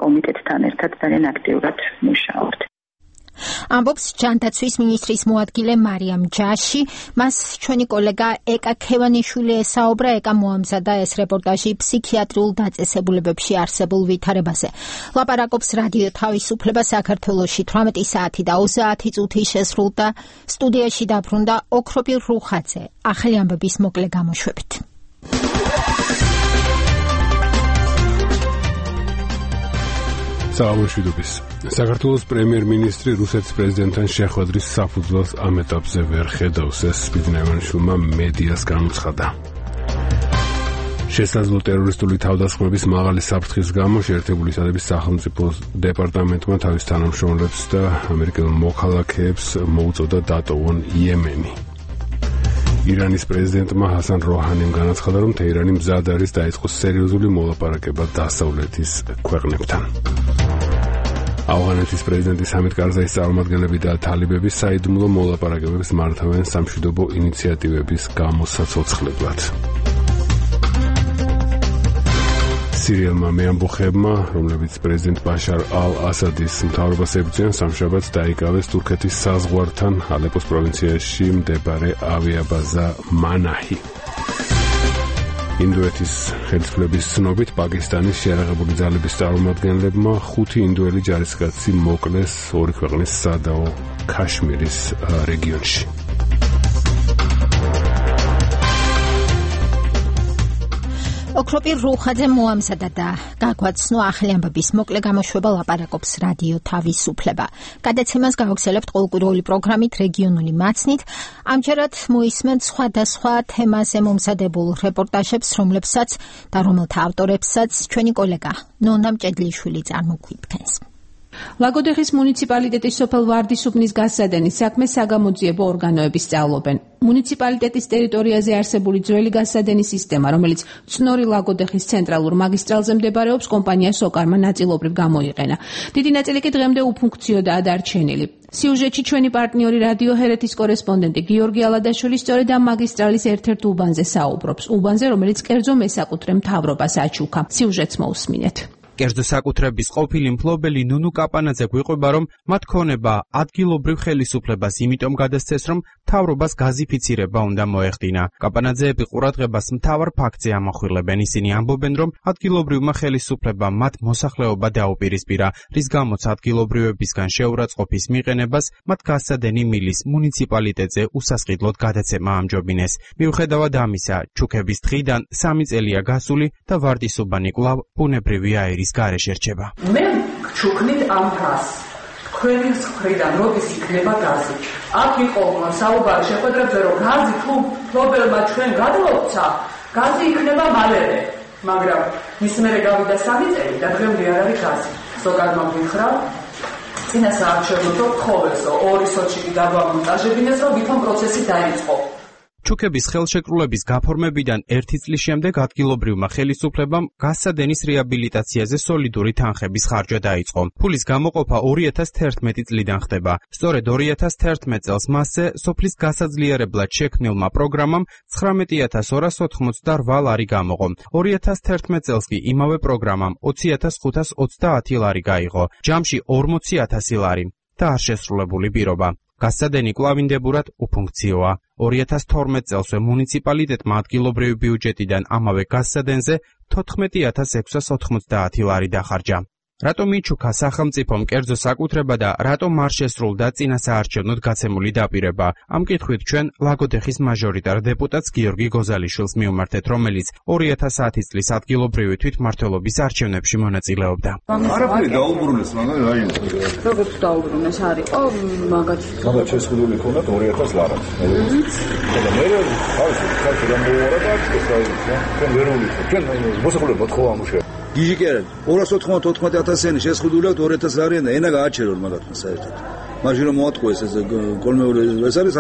კომიტეტთან ერთად ძალიან აქტიურად მუშაობთ. ამბობს ჯანდაცვის მინისტრის მოადგილე მარიამ ჯაში. მას ჩვენი კოლეგა ეკა ქევანიშვილი ესაუბრა. ეკა მოამზადა ეს რეპორტაჟი ფსიქიატრიულ დაწესებულებებში არსებულ ვითარებაზე. ლაპარაკობს რადიო თავისუფლება საქართველოში 18 საათი და 30 წუთი შესრულდა. სტუდიაში დაბრუნდა ოქროპი რუხაძე. ახალი ამბების მოკლე გამოშვებით. საუბრობთ საქართველოს პრემიერ-მინისტრი რუსეთის პრეზიდენტთან შეხვედრის საფუძველს ამ ეტაპზე ვერ ხედავს, ეს ბიზნესმენმა მედიას განუცხადა. შესაძლო ტერორისტული თავდასხმების მაღალი საფრთხის გამო შეერთებული შტატების სახელმწიფო დეპარტამენტმა თავის თანამშრომლებს და ამერიკელ მოქალაქეებს მოუწოდა დატოვონ იემენი. ირანის პრეზიდენტმა ჰასან როჰანიმ განაცხადა, რომ თეირანი მზად არის დაიწყოს სერიოზული მოლაპარაკება დასავლეთის ქვეყნებთან. ავღანეთის პრეზიდენტის ჰამიდ კარზაის წარმომადგენლები და თალიბები საიდუმლო მოლაპარაკებებს მართავენ სამშვიდობო ინიციატივების გამოსაცოცხლებლად. სირიელმა მეამბოხებმა, რომლებიც პრეზიდენტ ბაშარ ალ-ასადის მთავრობას ებრძვიან, სამშაბათს დაიკავეს თურქეთის საზღვართან ალეპოს პროვინციაში მდებარე ავიაბაზა მანაჰი. ინდოეთის ხელისუფლების ცნობით პაკისტანის შეიარაღებული ძალების წარმომადგენლებმა 5 ინდოელი ჯარისკაცი მოკლეს ორი ქვეყნის სადაო ქაშმირის რეგიონში. ოქროპი რუხაძე მოამზადა და გაგვაცნო ახალი ამბების მოკლე გამოშვება. ლაპარაკობს რადიო თავისუფლება. გადაცემას გავაგზავნებთ ყოველკვირეული პროგრამით რეგიონული მაცნით. ამჯერად მოისმენთ სხვადასხვა თემაზე მომზადებულ რეპორტაჟებს, რომლებსაც და რომელთა ავტორებსაც ჩვენი კოლეგა ნონა მჭედლიშვილი წარმოგვიდგენს. ლაგოდეხის მუნიციპალიტეტის სოფელ ვარდისუბნის გასადენის საქმეს საგამოძიებო ორგანოები სწავლობენ. მუნიციპალიტეტის ტერიტორიაზე არსებული ძველი გასადენის სისტემა, რომელიც წნორი ლაგოდეხის ცენტრალურ მაგისტრალზე მდებარეობს, კომპანია სოკარმა ნაწილობრივ გამოიყენა. დიდი ნაწილი კი დღემდე უფუნქციოდაა დარჩენილი. სიუჟეტში ჩვენი პარტნიორი რადიო ჰერეთის კორესპონდენტი გიორგი ალადაშვილი სწორედ ამ მაგისტრალის ერთ-ერთ უბანზე საუბრობს. უბანზე, რომელიც კერძო მესაკუთრე მთავრობას აჩუქა. სიუჟეტს მოусმინეთ. კერძო საკუთრების ყოფილი მფლობელი ნუნუ კაპანაძე გვიყვება, რომ მათ ქონება ადგილობრივ ხელისუფლებას იმიტომ გადასცეს, რომ მთავრობას გაზიფიცირება უნდა მოეხდინა. კაპანაძეები ყურადღებას მთავარ ფაქტზე ამახვილებენ. ისინი ამბობენ, რომ ადგილობრივმა ხელისუფლებამ მათ მოსახლეობა დაუპირისპირა, რის გამოც ადგილობრივებისგან შეურაცხყოფის მიყენებას მათ გასადენი მილის მუნიციპალიტეტზე უსასყიდლოდ გადაცემა ამჯობინეს. მიუხედავად ამისა, ჩუქების დღიდან 3 წელია გასული და ვარდისუბანი კვლავ ბუნებრივი აირის გარეშე რჩება. მე ჩუქნით ამ ფრას. თქვენი მხრიდან როდის იქნება გაზი? აქ იყო საუბარი შეხვედრებზე, რომ გაზი თუ ფლობელმა ჩვენ გადმოცა, გაზი იქნება მალევე. მაგრამ მის მერე გავიდა 3 წელი და დღემდე არ არის გაზი. ზოგადმა გითხრა, წინა საარჩევნო ხოვესო 2 სოჩიკი გადავამონტაჟებინეს, რომ ვითომ პროცესი დაიწყო. ჩუქების ხელშეკრულების გაფორმებიდან 1 წლის შემდეგ ადგილობრივმა ხელისუფლებამ გასადენის რეაბილიტაციაზე სოლიდური თანხების ხარჯვა დაიწყო. ფულის გამოყოფა 2011 წლიდან ხდება. სწორედ 2011 წელს მასზე სოფლის გასაძლიერებლად შექმნილმა პროგრამამ 19,288 ლარი გამოყო. 2011 წელს კი იმავე პროგრამამ 20,530 ლარი გაიღო. ჯამში 40,000 ლარი და არ შესრულებული პირობა. გასცადენი კვლავინდებურად უფუნქციოა. 2012 წელსვე მუნიციპალიტეტმა ადგილობრივი ბიუჯეტიდან ამავე გასცადენზე 14690 ლარი დახარჯა. რატომ იჩუქა სახელმწიფომ კერძო საკუთრება და რატომ არ შესრულდა წინასაარჩევნოდ გაცემული დაპირება? ამ კითხვით ჩვენ ლაგოდეხის მაჟორიტარ დეპუტატს გიორგი გოზალიშვილს მივმართეთ, რომელიც 2010 წლის ადგილობრივი თვითმმართველობის არჩევნებში მონაწილეობდა. არაფერი დაუბრუნეს, მაგრამ რაიონი. როგორც დაუბრუნეს, არისო მაგაც შესრულებული ქონდათ 2000 ლარი. და მე ხალხი გამოუარა და ეს რაიონი, ჩვენ ვერ ვიყო. ჩვენ მოსახლეობა თქო ამუშავე. გიჟი კი არა 294,000-იანი შესყიდულად 2000 ლარიან და ენა გააჩერონ მაგათმა საერთოდ. მაშინ რომ მოატყუეს ეს კოლმეური ეს არის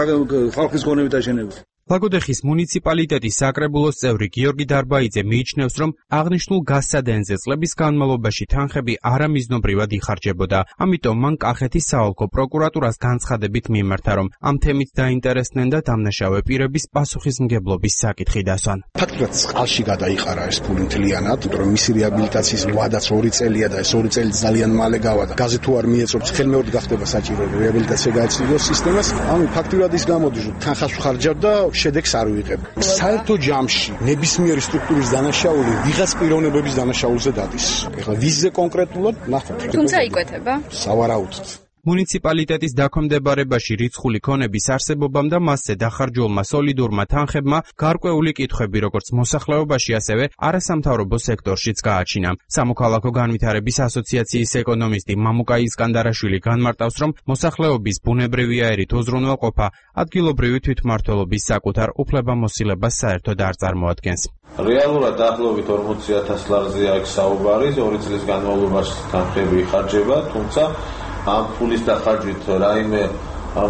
ხალხის გონებით აშენებული. ლაგოდეხის მუნიციპალიტეტის საკრებულოს წევრი გიორგი დარბაიძე მიიჩნევს, რომ აღნიშნულ გასცადენზე წლების განმავლობაში თანხები არამიზნობრივად იხარჯებოდა. ამიტომ მან კახეთის საოლქო პროკურატურას განცხადებით მიმართა, რომ ამ თემით დაინტერესდნენ და დამნაშავე პირების პასუხისმგებლობის საკითხი დასვან. ფაქტობრივად წყალში გადაიყარა ეს ფული მთლიანად, იმიტომ რომ მისი რეაბილიტაციის ვადაც 2 წელია და ეს 2 წელი ძალიან მალე გავადა. გაზი თუ არ მიეწობს, ხელმეორედ გახდება საჭირო რეაბილიტაცია გაეწიოს სისტემას. ანუ ფაქტობრივად ის გამოდის, რომ თანხას ხარჯავდა შედეგს არ ვიღებ. საერთო ჯამში ნებისმიერი სტრუქტურის დანაშაული ვიღაც პიროვნებების დანაშაულზე დადის. ეხლა ვიზზე კონკრეტულად ნახოთ. თუმცა იკვეთება? სავარაუდოდ. მუნიციპალიტეტის დაქვემდებარებაში რიცხული ქონების არსებობამ და მასზე დახარჯულმა სოლიდურმა თანხებმა გარკვეული კითხვები როგორც მოსახლეობაში, ასევე არასამთავრობო სექტორშიც გააჩინა. სამოქალაქო განვითარების ასოციაციის ეკონომისტი მამუკა ისკანდარაშვილი განმარტავს, რომ მოსახლეობის ბუნებრივი აირით უზრუნველყოფა ადგილობრივი თვითმმართველობის საკუთარ უფლებამოსილებას საერთოდ არ წარმოადგენს. რეალურად დაახლოებით 40,000 ლარზეა აქ საუბარი, 2 წლის განმავლობაში თანხები იხარჯება, თუმცა ამ ფულის დახარჯვით რაიმე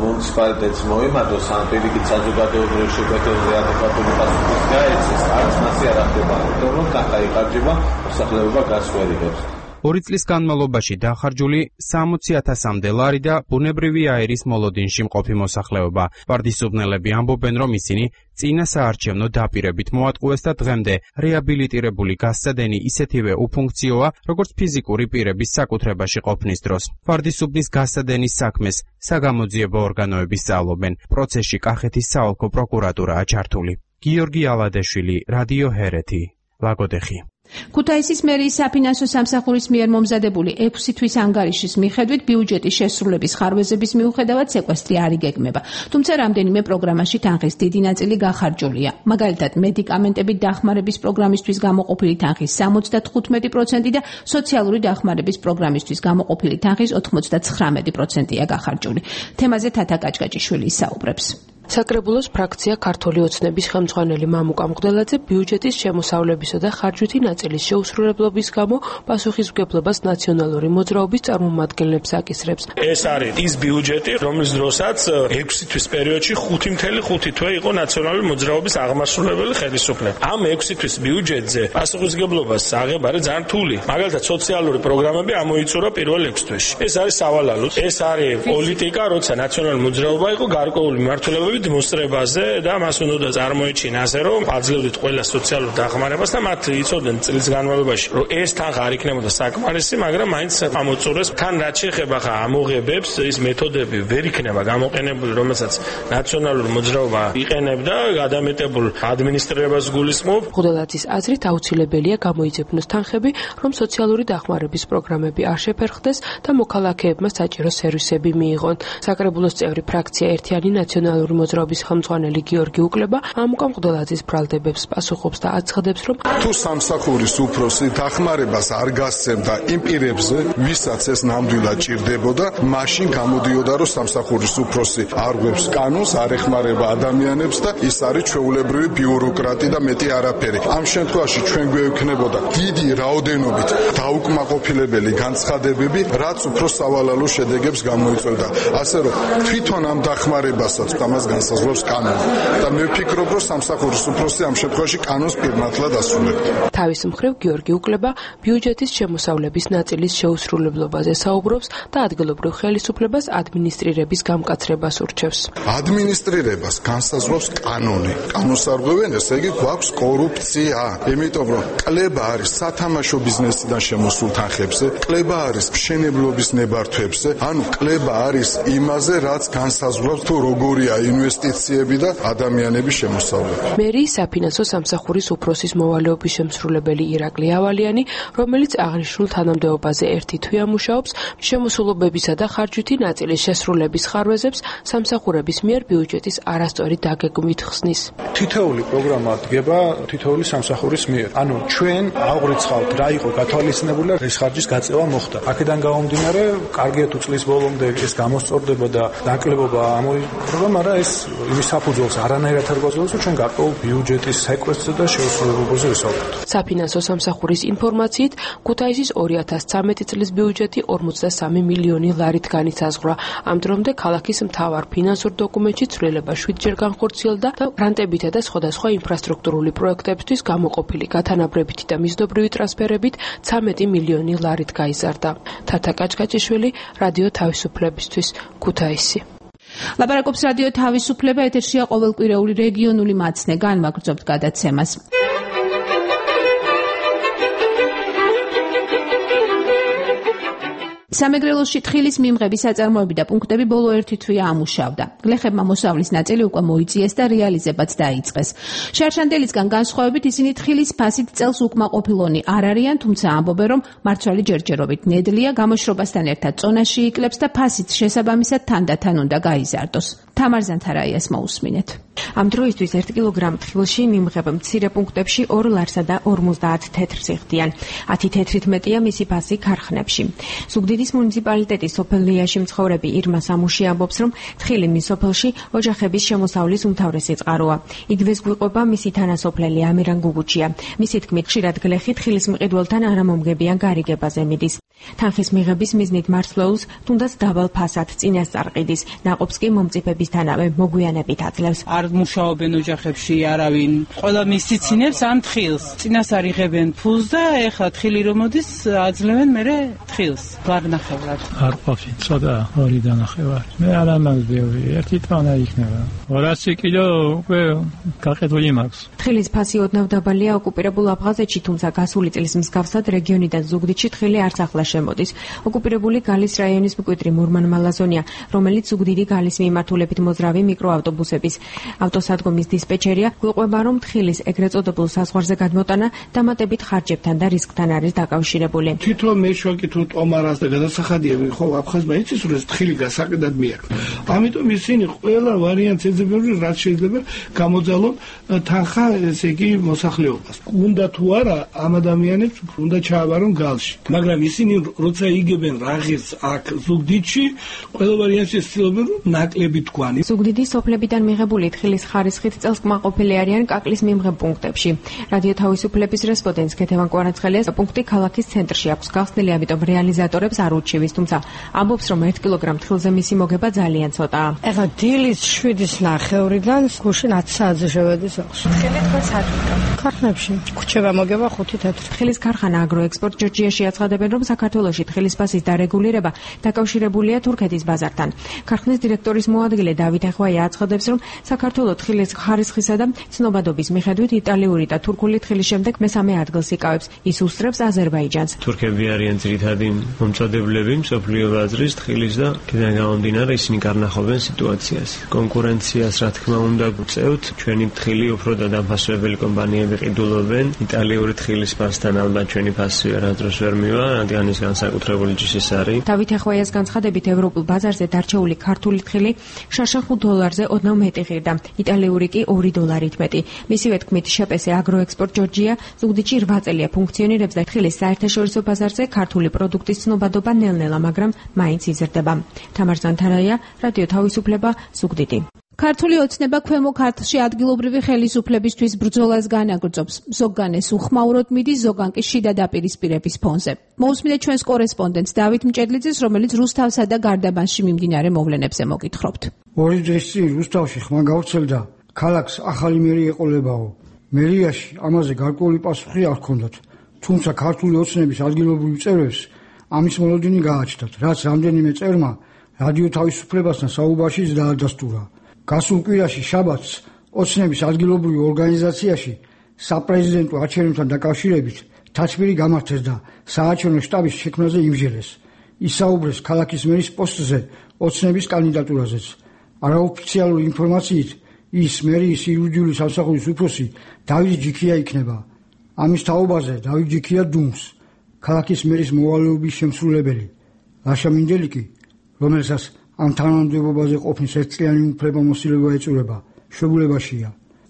მუნიციპალიტეტს მოემართოს ან პირიქით საზოგადოებრივ შეკვეთებზე ადეკვატური პასუხის გაეცეს, არც მასი არ ახდება, იმიტომ რომ თანხა იხარჯება, მოსახლეობა გასვერიღებს. 2 წლის განმავლობაში დახარჯული 60,000-მდე ლარი და ბუნებრივი აირის მოლოდინში მყოფი მოსახლეობა. პარტიზუბნელები ამბობენ, რომ ისინი წინასაარჩევნო დაპირებით მოატყუეს და დღემდე რეაბილიტირებული გასცადენი ისეთივე უფუნქციოა, როგორც ფიზიკური პირების საკუთრებაში ყოფნის დროს. პარტიზუბნის გასცადენის საქმეს საგამოძიებო ორგანოები სწავლობენ. პროცესში კახეთის საოლქო პროკურატურაა ჩართული. გიორგი ალადეშვილი, რადიო ჰერეთი, ლაგოდეხი. ქუთაისის მერიის საფინანსო სამსახურის მიერ მომზადებული 6 თვის ანგარიშის მიხედვით ბიუჯეტის შესრულების ხარვეზების მიუხედავად სეკვესტრი არ იგეგმება. თუმცა რამდენიმე პროგრამაში თანხის დიდი ნაწილი გახარჯულია. მაგალითად, მედიკამენტებით დახმარების პროგრამისთვის გამოყოფილი თანხის 75% და სოციალური დახმარების პროგრამისთვის გამოყოფილი თანხის 99%-ია გახარჯული. თემაზე თათა კაჭკაჭიშვილი ისაუბრებს. საკრებულოს ფრაქცია ქართული ოცნების ხელმძღვანელი მამუკა მღვდელაძე ბიუჯეტის შემოსავლებისა და ხარჯვითი ნაწილის შეუსრულებლობის გამო პასუხისმგებლობას ნაციონალური მოძრაობის წარმომადგენლებს აკისრებს. ეს არის ის ბიუჯეტი, რომლის დროსაც 6 თვის პერიოდში 5.5 თვე იყო ნაციონალური მოძრაობის აღმასრულებელი ხელისუფლება. ამ 6 თვის ბიუჯეტზე პასუხისმგებლობას აღება არის ძალიან რთული. მაგალითად, სოციალური პროგრამები ამოიწურა პირველ 6 თვეში. ეს არის სავალალო. ეს არის პოლიტიკა, როცა ნაციონალური მოძრაობა იყო გარკვეული მმართველობები მოსწრებაზე და მას უნდა წარმოეჩინა ასე, რომ აძლევდით ყველა სოციალურ დახმარებას და მათ იცოდნენ წლის განმავლობაში, რომ ეს თანხა არ იქნებოდა საკმარისი, მაგრამ მაინც ამოწურეს. თან რაც შეეხება ხა ამოღებებს, ის მეთოდები ვერ იქნება გამოყენებული, რომელსაც ნაციონალური მოძრაობა იყენებდა, გადამეტებულ ადმინისტრირებას გულისხმობ. მღვდელაძის აზრით აუცილებელია გამოიძებნოს თანხები, რომ სოციალური დახმარების პროგრამები არ შეფერხდეს და მოქალაქეებმა საჭირო სერვისები მიიღონ. საკრებულოს წევრი ფრაქცია ერთიანი ნაციონალური მოძრაობის ხელმძღვანელი გიორგი უკლება ამუკა მღვდელაძის ბრალდებებს პასუხობს და აცხადებს, რომ თუ სამსახურის უფროსი დახმარებას არ გასცემდა იმ პირებზე, ვისაც ეს ნამდვილად ჭირდებოდა, მაშინ გამოდიოდა, რომ სამსახურის უფროსი არ გვებს კანონს, არ ეხმარება ადამიანებს და ის არის ჩვეულებრივი ბიუროკრატი და მეტი არაფერი. ამ შემთხვევაში ჩვენ გვექნებოდა დიდი რაოდენობით დაუკმაყოფილებელი განცხადებები, რაც უფრო სავალალო შედეგებს გამოიწვევდა. ასე რომ თვითონ ამ დახმარებასაც ამას განსაზღვრავს კანონი და მე ვფიქრობ, რომ სამსახურის უფროსი ამ შემთხვევაში კანონს პირნათლად ასრულებდა. თავის მხრივ გიორგი უკლება ბიუჯეტის შემოსავლების ნაწილის შეუსრულებლობაზე საუბრობს და ადგილობრივ ხელისუფლებას ადმინისტრირების გამკაცრებას ურჩევს. ადმინისტრირებას განსაზღვრავს კანონი. კანონს არ ღვევენ, ესე იგი გვაქვს კორუფცია. იმიტომ რომ კლება არის სათამაშო ბიზნესიდან შემოსულ თანხებზე, კლება არის მშენებლობის ნებართვებზე, ანუ კლება არის იმაზე, რაც განსაზღვრავს თუ როგორია ინვესტიციები და ადამიანების შემოსავლები. მერიის საფინანსო სამსახურის უფროსის მოვალეობის შემსრულებელი ირაკლი ავალიანი, რომელიც აღნიშნულ თანამდებობაზე ერთი თვეა მუშაობს, შემოსულობებისა და ხარჯვითი ნაწილის შესრულების ხარვეზებს სამსახურების მიერ ბიუჯეტის არასწორი დაგეგმვით ხსნის. თითოეული პროგრამა დგება თითოეული სამსახურის მიერ. ანუ ჩვენ აღვრიცხავთ რა იყო გათვალისწინებული და ეს ხარჯის გაწევა მოხდა. აქედან გამომდინარე, კარგია თუ წლის ბოლომდე ეს გამოსწორდება და დაკლებობა ამოიღება, მაგრამ ეს იმის საფუძველს არანაირად არ გვაძლევს, რომ ჩვენ გარკვეულ ბიუჯეტის სეკვესტრზე და შეუსრულებლობაზე ვისაუბროთ. საფინანსო სამსახურის ინფორმაციით, ქუთაისის 2013 წლის ბიუჯეტი 43 მილიონი ლარით განისაზღვრა. ამ დრომდე ქალაქის მთავარ ფინანსურ დოკუმენტში ცვლილება 7-ჯერ განხორციელდა და გრანტებითა და სხვადასხვა ინფრასტრუქტურული პროექტებისთვის გამოყოფილი გათანაბრებითი და მიზნობრივი ტრანსფერებით 13 მილიონი ლარით გაიზარდა. თათა კაჭკაჭიშვილი, რადიო თავისუფლებისთვის, ქუთაისი. ლაპარაკობს რადიო თავისუფლება, ეთერშია ყოველკვირეული რეგიონული მაცნე, განვაგრძობთ გადაცემას. სამეგრელოში თხილის მიმღების საწარმოები და პუნქტები ბოლო ერთი თვეა ამუშავდა. გლეხებმა მოსავლის ნაწილი უკვე მოიწიეს და რეალიზებაც დაიწყეს. შარშანდელისგან განსხვავებით ისინი თხილის ფასით წელს უკმაყოფილონი არ არიან, თუმცა ამბობენ, რომ მარცვალი ჯერჯერობით ნედლია, გამოშრობასთან ერთად წონაში იკლებს და ფასით შესაბამისად თანდათან უნდა გაიზარდოს. თამარ ზანთარაიას მოусმინეთ. ამ დროისთვის 1 კილოგრამ თხილში მიმღებ მცირე პუნქტებში 2 ლარსა და 50 თეთრს იხდიან. 10 თეთრით მეტია მისი ფასი ქარხნებში. ზუგდიდის მუნიციპალიტეტის სოფელ ლიაში მცხოვრები ირმა სამუში ამბობს, რომ თხილი მის სოფელში ოჯახების შემოსავლის უმთავრესი წყაროა. იგივეს გვიყვება მისი თანასოფლელი ამირან გუგუჩია. მისი თქმით, ხშირად გლეხი თხილის მყიდველთან არამომგებიან გარიგებაზე მიდის. თანხის მიღების მიზნით მარცვლეულს თუნდაც დაბალ ფასად წინასწარ ყიდის, ნაყოფს კი მომწიფებისთანავე მოგვიანებით აძლევს. არ მუშაობენ ოჯახებში არავინ. ყველა მისიცინებს ამ თხილს. წინასწარ იღებენ ფულს და ეხლა თხილი რომ მოდის, აძლევენ მერე თხილს. გარნახევრად. არ ყოფილი, ცოტა 2 დანახევარი. მე არ ამას ბევრი, 1 ტონა იქნება. 200 კილო უკვე გაყიდული მაქვს. თხილის ფასი ოდნავ დაბალია ოკუპირებულ აფხაზეთში, თუმცა გასული წლის მსგავსად რეგიონიდან ზუგდიდში თხილი არც ახლა შემოდის. ოკუპირებული გალის რაიონის მკვიდრი მურმან მალაზონია, რომელიც ზუგდიდი გალის მიმართულებით მოძრავი მიკროავტობუსების ავტოსადგომის დისპეჩერია, გვიყვება, რომ თხილის ეგრეთ წოდებულ საზღვარზე გადმოტანა დამატებით ხარჯებთან და რისკთან არის დაკავშირებული. თვითონ მე შევაკითხო ტომარას და გადასახადიები, ხო, აფხაზმა იცის, რომ ეს თხილი გასაყიდად მიაქვს. ამიტომ ისინი ყველა ვარიანტს ეძებენ, რაც შეიძლება გამოძალონ თანხა, ესე იგი, მოსახლეობას. უნდა თუ არა ამ ადამიანებს უნდა ჩააბარონ გალში. მაგრამ ისინი როცა იგებენ რაღაცს აქ ზუგდიდში, ყველა ვარიანტს ცდილობენ, რომ ნაკლები თქვანი. ზუგდიდის სოფლებიდან მიღებული თხილის ხარისხით წელს კმაყოფილი არიან კაკლის მიმღებ პუნქტებში. რადიო თავისუფლების რესპონდენტს ქეთევან კვარაცხელიას პუნქტი ქალაქის ცენტრში აქვს გახსნილი, ამიტომ რეალიზატორებს არ ურჩივის, თუმცა ამბობს, რომ 1 კილოგრამ თხილზე მისი მოგება ძალიან ცოტაა. ეხლა დილის 7:09-დან გუშინ 10 საათზე შევედის ახლა. თხილი თქვენ საათიდან ქარხნებში ქუჩება მოგება 5 თეთრი. თხილის ქარხანა აგროექსპორტ ჯორჯიაში აცხადებენ, რომ საქართველოში თხილის ფასის დარეგულირება დაკავშირებულია თურქეთის ბაზართან. ქარხნის დირექტორის მოადგილე დავით ახვაია აცხადებს, რომ საქართველოს თხილის ხარისხისა და ცნობადობის მიხედვით იტალიური და თურქული თხილის შემდეგ მესამე ადგილს იკავებს. ის უსწრებს აზერბაიჯანს. თურქები არიან ძირითადი მომწოდებლები მსოფლიო ბაზრის თხილის და აქედან გამომდინარე ისინი გარნახობენ სიტუაციას. კონკურენციას რა თქმა უნდა გვწევთ, ჩვენი თხილი უფრო დადაფასებელი კომპანიები ყიდულობენ. იტალიური თხილის ფასთან ალბათ ჩვენი ფასი არასდროს ვერ მივა, რადგან ის განსაკუთრებული ჯიშის არის. დავით ახვაიას განცხადებით, ევროპულ ბაზარზე დარჩეული ქართული თხილი შარშან $5 ოდნავ მეტი ღირდა, იტალიური კი $2 მეტი. მისივე თქმით, შეპესე აგროექსპორტ ჯორჯია ზუგდიდში 8 წელია ფუნქციონირებს და თხილის საერთაშორისო ბაზარზე ქართული პროდუქტის ცნობადობა ნელ-ნელა, მაგრამ მაინც იზრდება. თამარ ზანთარაია, რადიო თავისუფლება, ზუგდიდი. ქართული ოცნება ქვემო ქართლში ადგილობრივი ხელისუფლებისთვის ბრძოლას განაგრძობს. ზოგან ეს უხმაუროდ მიდის, ზოგან კი შიდა დაპირისპირების ფონზე. მოусმინეთ ჩვენს კორესპონდენტს დავით მჭედლიძეს, რომელიც რუსთავსა და გარდაბანში მიმდინარე მოვლენებზე მოგითხრობთ. ორი დღის წინ რუსთავში ხმა გავრცელდა, ქალაქს ახალი მერი ეყოლებაო. მერიაში ამაზე გარკვეული პასუხი არ ჰქონდათ, თუმცა ქართული ოცნების ადგილობრივ წევრებს ამის მოლოდინი გააჩნდათ, რაც რამდენიმე წევრმა რადიო თავისუფლებასთან საუბარში დაადასტურა. გასულ კვირაში შაბათს ოცნების ადგილობრივ ორგანიზაციაში საპრეზიდენტო არჩევნებთან დაკავშირებით თათბირი გამართეს და საარჩევნო შტაბის შექმნაზე იმსჯელეს. ისაუბრეს ქალაქის მერის პოსტზე ოცნების კანდიდატურაზეც. არაოფიციალური ინფორმაციით ის მერიის იურიდიული სამსახურის უფროსი დავით ჯიქია იქნება. ამის თაობაზე დავით ჯიქია დუმს, ქალაქის მერის მოვალეობის შემსრულებელი. ლაშა მინდელიკი, რომელსაც ამ თანამდებობაზე ყოფნის ერთწლიანი უფლებამოსილება ეწურება, შვებულებაშია.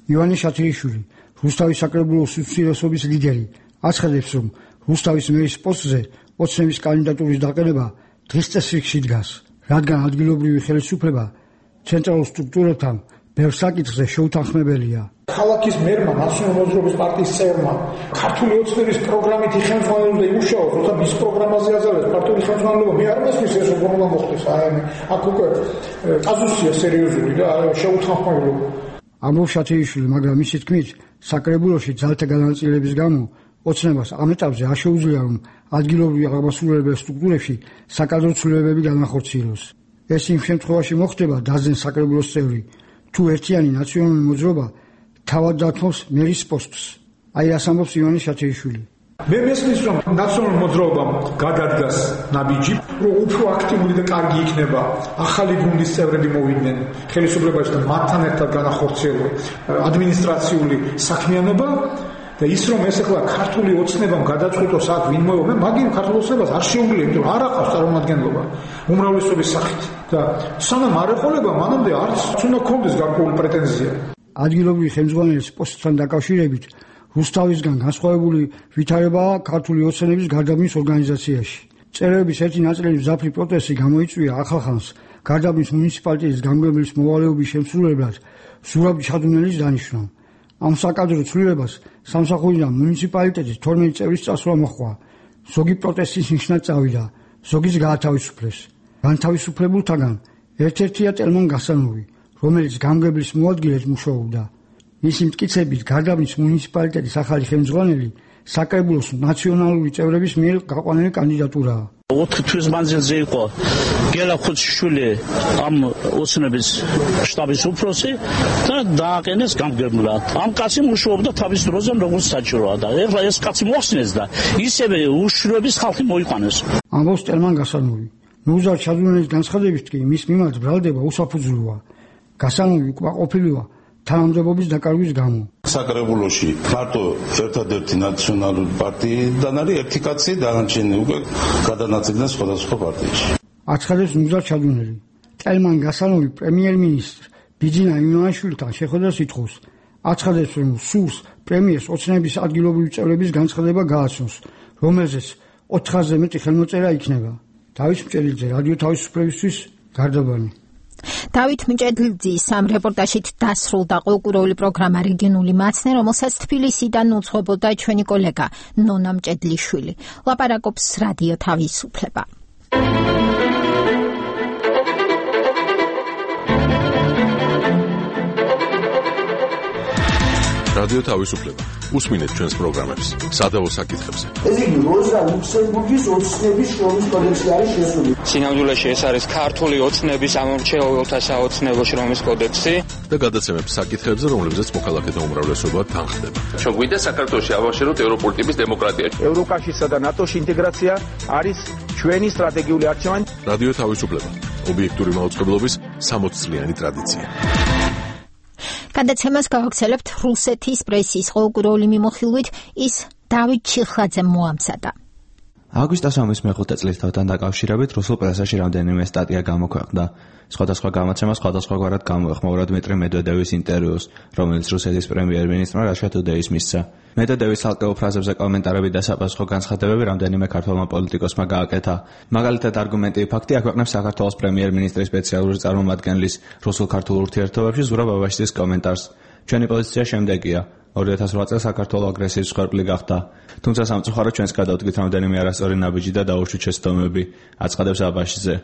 ივანე შათრიშვილი, რუსთავის საკრებულოს უმცირესობის ლიდერი, აცხადებს, რომ რუსთავის მერის პოსტზე ოცნების კანდიდატურის დაყენება დღის წესრიგში დგას, რადგან ადგილობრივი ხელისუფლება ცენტრალურ სტრუქტურებთან ბევრ საკითხზე შეუთანხმებელია. ქალაქის მერმა, ნაციონალური მოძრაობის პარტიის წევრმა, ქართული ოცნების პროგრამით ხელმძღვანელობდა იმუშაოს, როცა მის პროგრამაზე აძლევს პარტიული ხელმძღვანელობა. მე არ მესმის ეს როგორ მოხდეს, აქ უკვე კაზუსია სერიოზული და შეუთანხმებელობა. ამბობს შათრიშვილი, მაგრამ მისი თქმით, საკრებულოში ძალთა განაწილების გამო ოცნებას ამ ეტაპზე არ შეუძლია, რომ ადგილობრივ აღმასრულებელ სტრუქტურებში საკადრო ცვლილებები განახორციელოს. ეს იმ შემთხვევაში მოხდება, დაძენს საკრებულოს წევრი, თუ ერთიანი ნაციონალური მოძრაობა თავად დათმობს მერის პოსტს. აი რას ამბობს ივანე შათრიშვილი. მე მესმის, რომ ნაციონალური მოძრაობამ გადადგას ნაბიჯი, რომ უფრო აქტიური და კარგი იქნება ახალი გუნდის წევრები მოვიდნენ ხელისუფლებაში და მათთან ერთად განახორციელოს ადმინისტრაციული საქმიანობა და ის რომ ეს ახლა ქართული ოცნებამ გადაწყვიტოს აქ ვინ მოევა, მაგინ ქართულ ოცნებას არ შეუძლია, იმიტომ რომ არ აყავს წარმომადგენლობა უმრავლესობის სახით და სანამ არ ეყოლება, მანამდე არც უნდა ქონდეს გარკვეული პრეტენზია. ადგილობრივი ხელმძღვანელის პოსტთან დაკავშირებით რუსთავისგან განსხვავებული ვითარებაა ქართული ოცნების გარდაბნის ორგანიზაციაში. წევრების ერთი ნაწილი მზაფრი პროტესტი გამოიწვია ახალხანს გარდაბნის მუნიციპალიტეტის გამგებლის მოვალეობის შემსრულებლად ზურაბ ჩადუნელის დანიშვნა. ამ საკადრო ცვლილებას სამსახურიდან მუნიციპალიტეტის 12 წევრის წასვლა მოჰყვა. ზოგი პროტესტის ნიშნად წავიდა, ზოგიც გაათავისუფლეს. განთავისუფლებულთაგან ერთ-ერთია ტელმან გასანოვი, რომელიც გამგებლის მოადგილედ მუშაობდა. მისი მტკიცებით გარდაბნის მუნიციპალიტეტის ახალი ხელმძღვანელი საკრებულოს ნაციონალური წევრების მიერ გაყვანილი კანდიდატურაა. 4 თვის მანძილზე იყო გელა ხუციშვილი ამ ოცნების შტაბის უფროსი და დააყენეს გამგებლად. ამ კაცი მუშაობდა თავის დროზე როგორც საჭიროა და ეხლა ეს კაცი მოხსნეს და ისევე უშროების ხალხი მოიყვანეს. ამბობს ტელმან გასანოვი. ნუზარ ჩადუნელის განცხადებით კი მის მიმართ ბრალდება უსაფუძვლოა. გასანოვი უკმაყოფილოა თანამდებობის დაკარგვის გამო. საკრებულოში მარტო ერთადერთი ნაციონალური პარტიიდან არის ერთი კაცი, დანარჩენი უკვე გადანაწილდნენ სხვადასხვა პარტიებში. აცხადებს ნუზარ ჩადუნელი. ტელმან გასანოვი პრემიერ-მინისტრ ბიძინა ივანაშვილთან შეხვედრას ითხოვს. აცხადებს, რომ სურს პრემიერს ოცნების ადგილობრივი წევრების განცხადება გააცნოს, რომელზეც 400-ზე მეტი ხელმოწერა იქნება. დავით მჭედლიძე, რადიო თავისუფლებისთვის, გარდაბანი. დავით მჭედლიძის ამ რეპორტაჟით დასრულდა ყოლკურეული პროგრამა რეგიონული მაცნე, რომელსაც თბილისიდან უძღვებოდა ჩვენი კოლეგა ნონა მჭედლიშვილი. ლაპარაკობს რადიო თავისუფლება. რადიო თავისუფლება. უსმინეთ ჩვენს პროგრამებს სადავო საკითხებზე. ეს იგი როზა ლუქსემბურგის ოცნების შრომის კოდექსი არის შესული. სინამდვილეში ეს არის ქართული ოცნების ამორჩეულთა საოცნებო შრომის კოდექსი და გადაცემებს საკითხებზე, რომლებზეც მოქალაქეთა უმრავლესობა თანხდება. ჩვენ გვინდა საქართველოში ავაშეროთ ევროპული ტიპის დემოკრატია. ევროკავშირსა და ნატოში ინტეგრაცია არის ჩვენი სტრატეგიული არჩევანი. რადიო თავისუფლება. ობიექტური მაუწყებლობის 60 წლიანი ტრადიცია. გადაცემას გავაგრძელებთ რუსეთის პრესის ყოლკურეული მიმოხილვით, ის დავით ჩიხლაძემ მოამზადა. აგვისტოს ომის მეხუთე წლისთავთან დაკავშირებით რუსულ პრესაში რამდენიმე სტატია გამოქვეყნდა. სხვადასხვა გამოცემა სხვადასხვაგვარად გამოეხმაურა დმიტრი მედვედევის ინტერვიუს, რომელიც რუსეთის პრემიერ-მინისტრმა Russia Today-ს მისცა. მედვედევის ცალკეულ ფრაზებზე კომენტარები და საფასუხო განცხადებები რამდენიმე ქართველმა პოლიტიკოსმა გააკეთა. მაგალითად, არგუმენტი ფაქტი აქვეყნებს საქართველოს პრემიერ-მინისტრის სპეციალური წარმომადგენლის რუსულ-ქართულ ურთიერთობებში ზურაბ აბაშიძის კომენტარს. ჩვენი პოზიცია შემდეგია. 2008 წელს საქართველოს აგრესიის მსხვერპლი გახდა. თუმცა სამწუხაროდ ჩვენს გადავდგით რამდენიმე არასწორი ნაბიჯი და დაუშვით შეცდომები, აცხადებს აბაშიძე.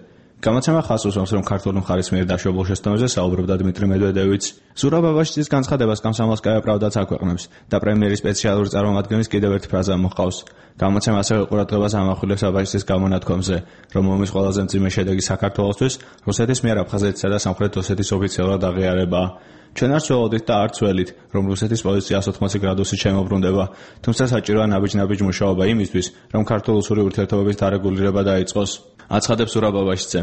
გამოცემა ხაზს უსვამს, რომ ქართული მხარის მიერ დაშვებულ შეცდომებზე საუბრობდა დმიტრი მედვედევიც. ზურაბ აბაშიძის განცხადებას კომსომოლსკაია პრავდაც აქვეყნებს და პრემიერის სპეციალური წარმომადგენლის კიდევ ერთი ფრაზა მოჰყავს. გამოცემა ასევე ყურადღებას ამახვილებს აბაშიძის გამონათქვამზე, რომ ომის ყველაზე მძიმე შედეგი საქართველოსთვის რუსეთის მიერ აფხაზეთისა და სამხრეთ ოსეთის ოფიციალურად აღიარებაა. ჩვენ არ ვცველოდით და არ ვცველით, რომ რუსეთის პოზიცია 180 გრადუსით შემოbrunდება, თუმცა საჭიროა ნაბიჯ-ნაბიჯ მუშაობა იმისთვის, რომ ქართულ-რუსული ურთიერთობების დარეგულირება დაიწყოს, აცხადებს ზურაბ აბაშიძე.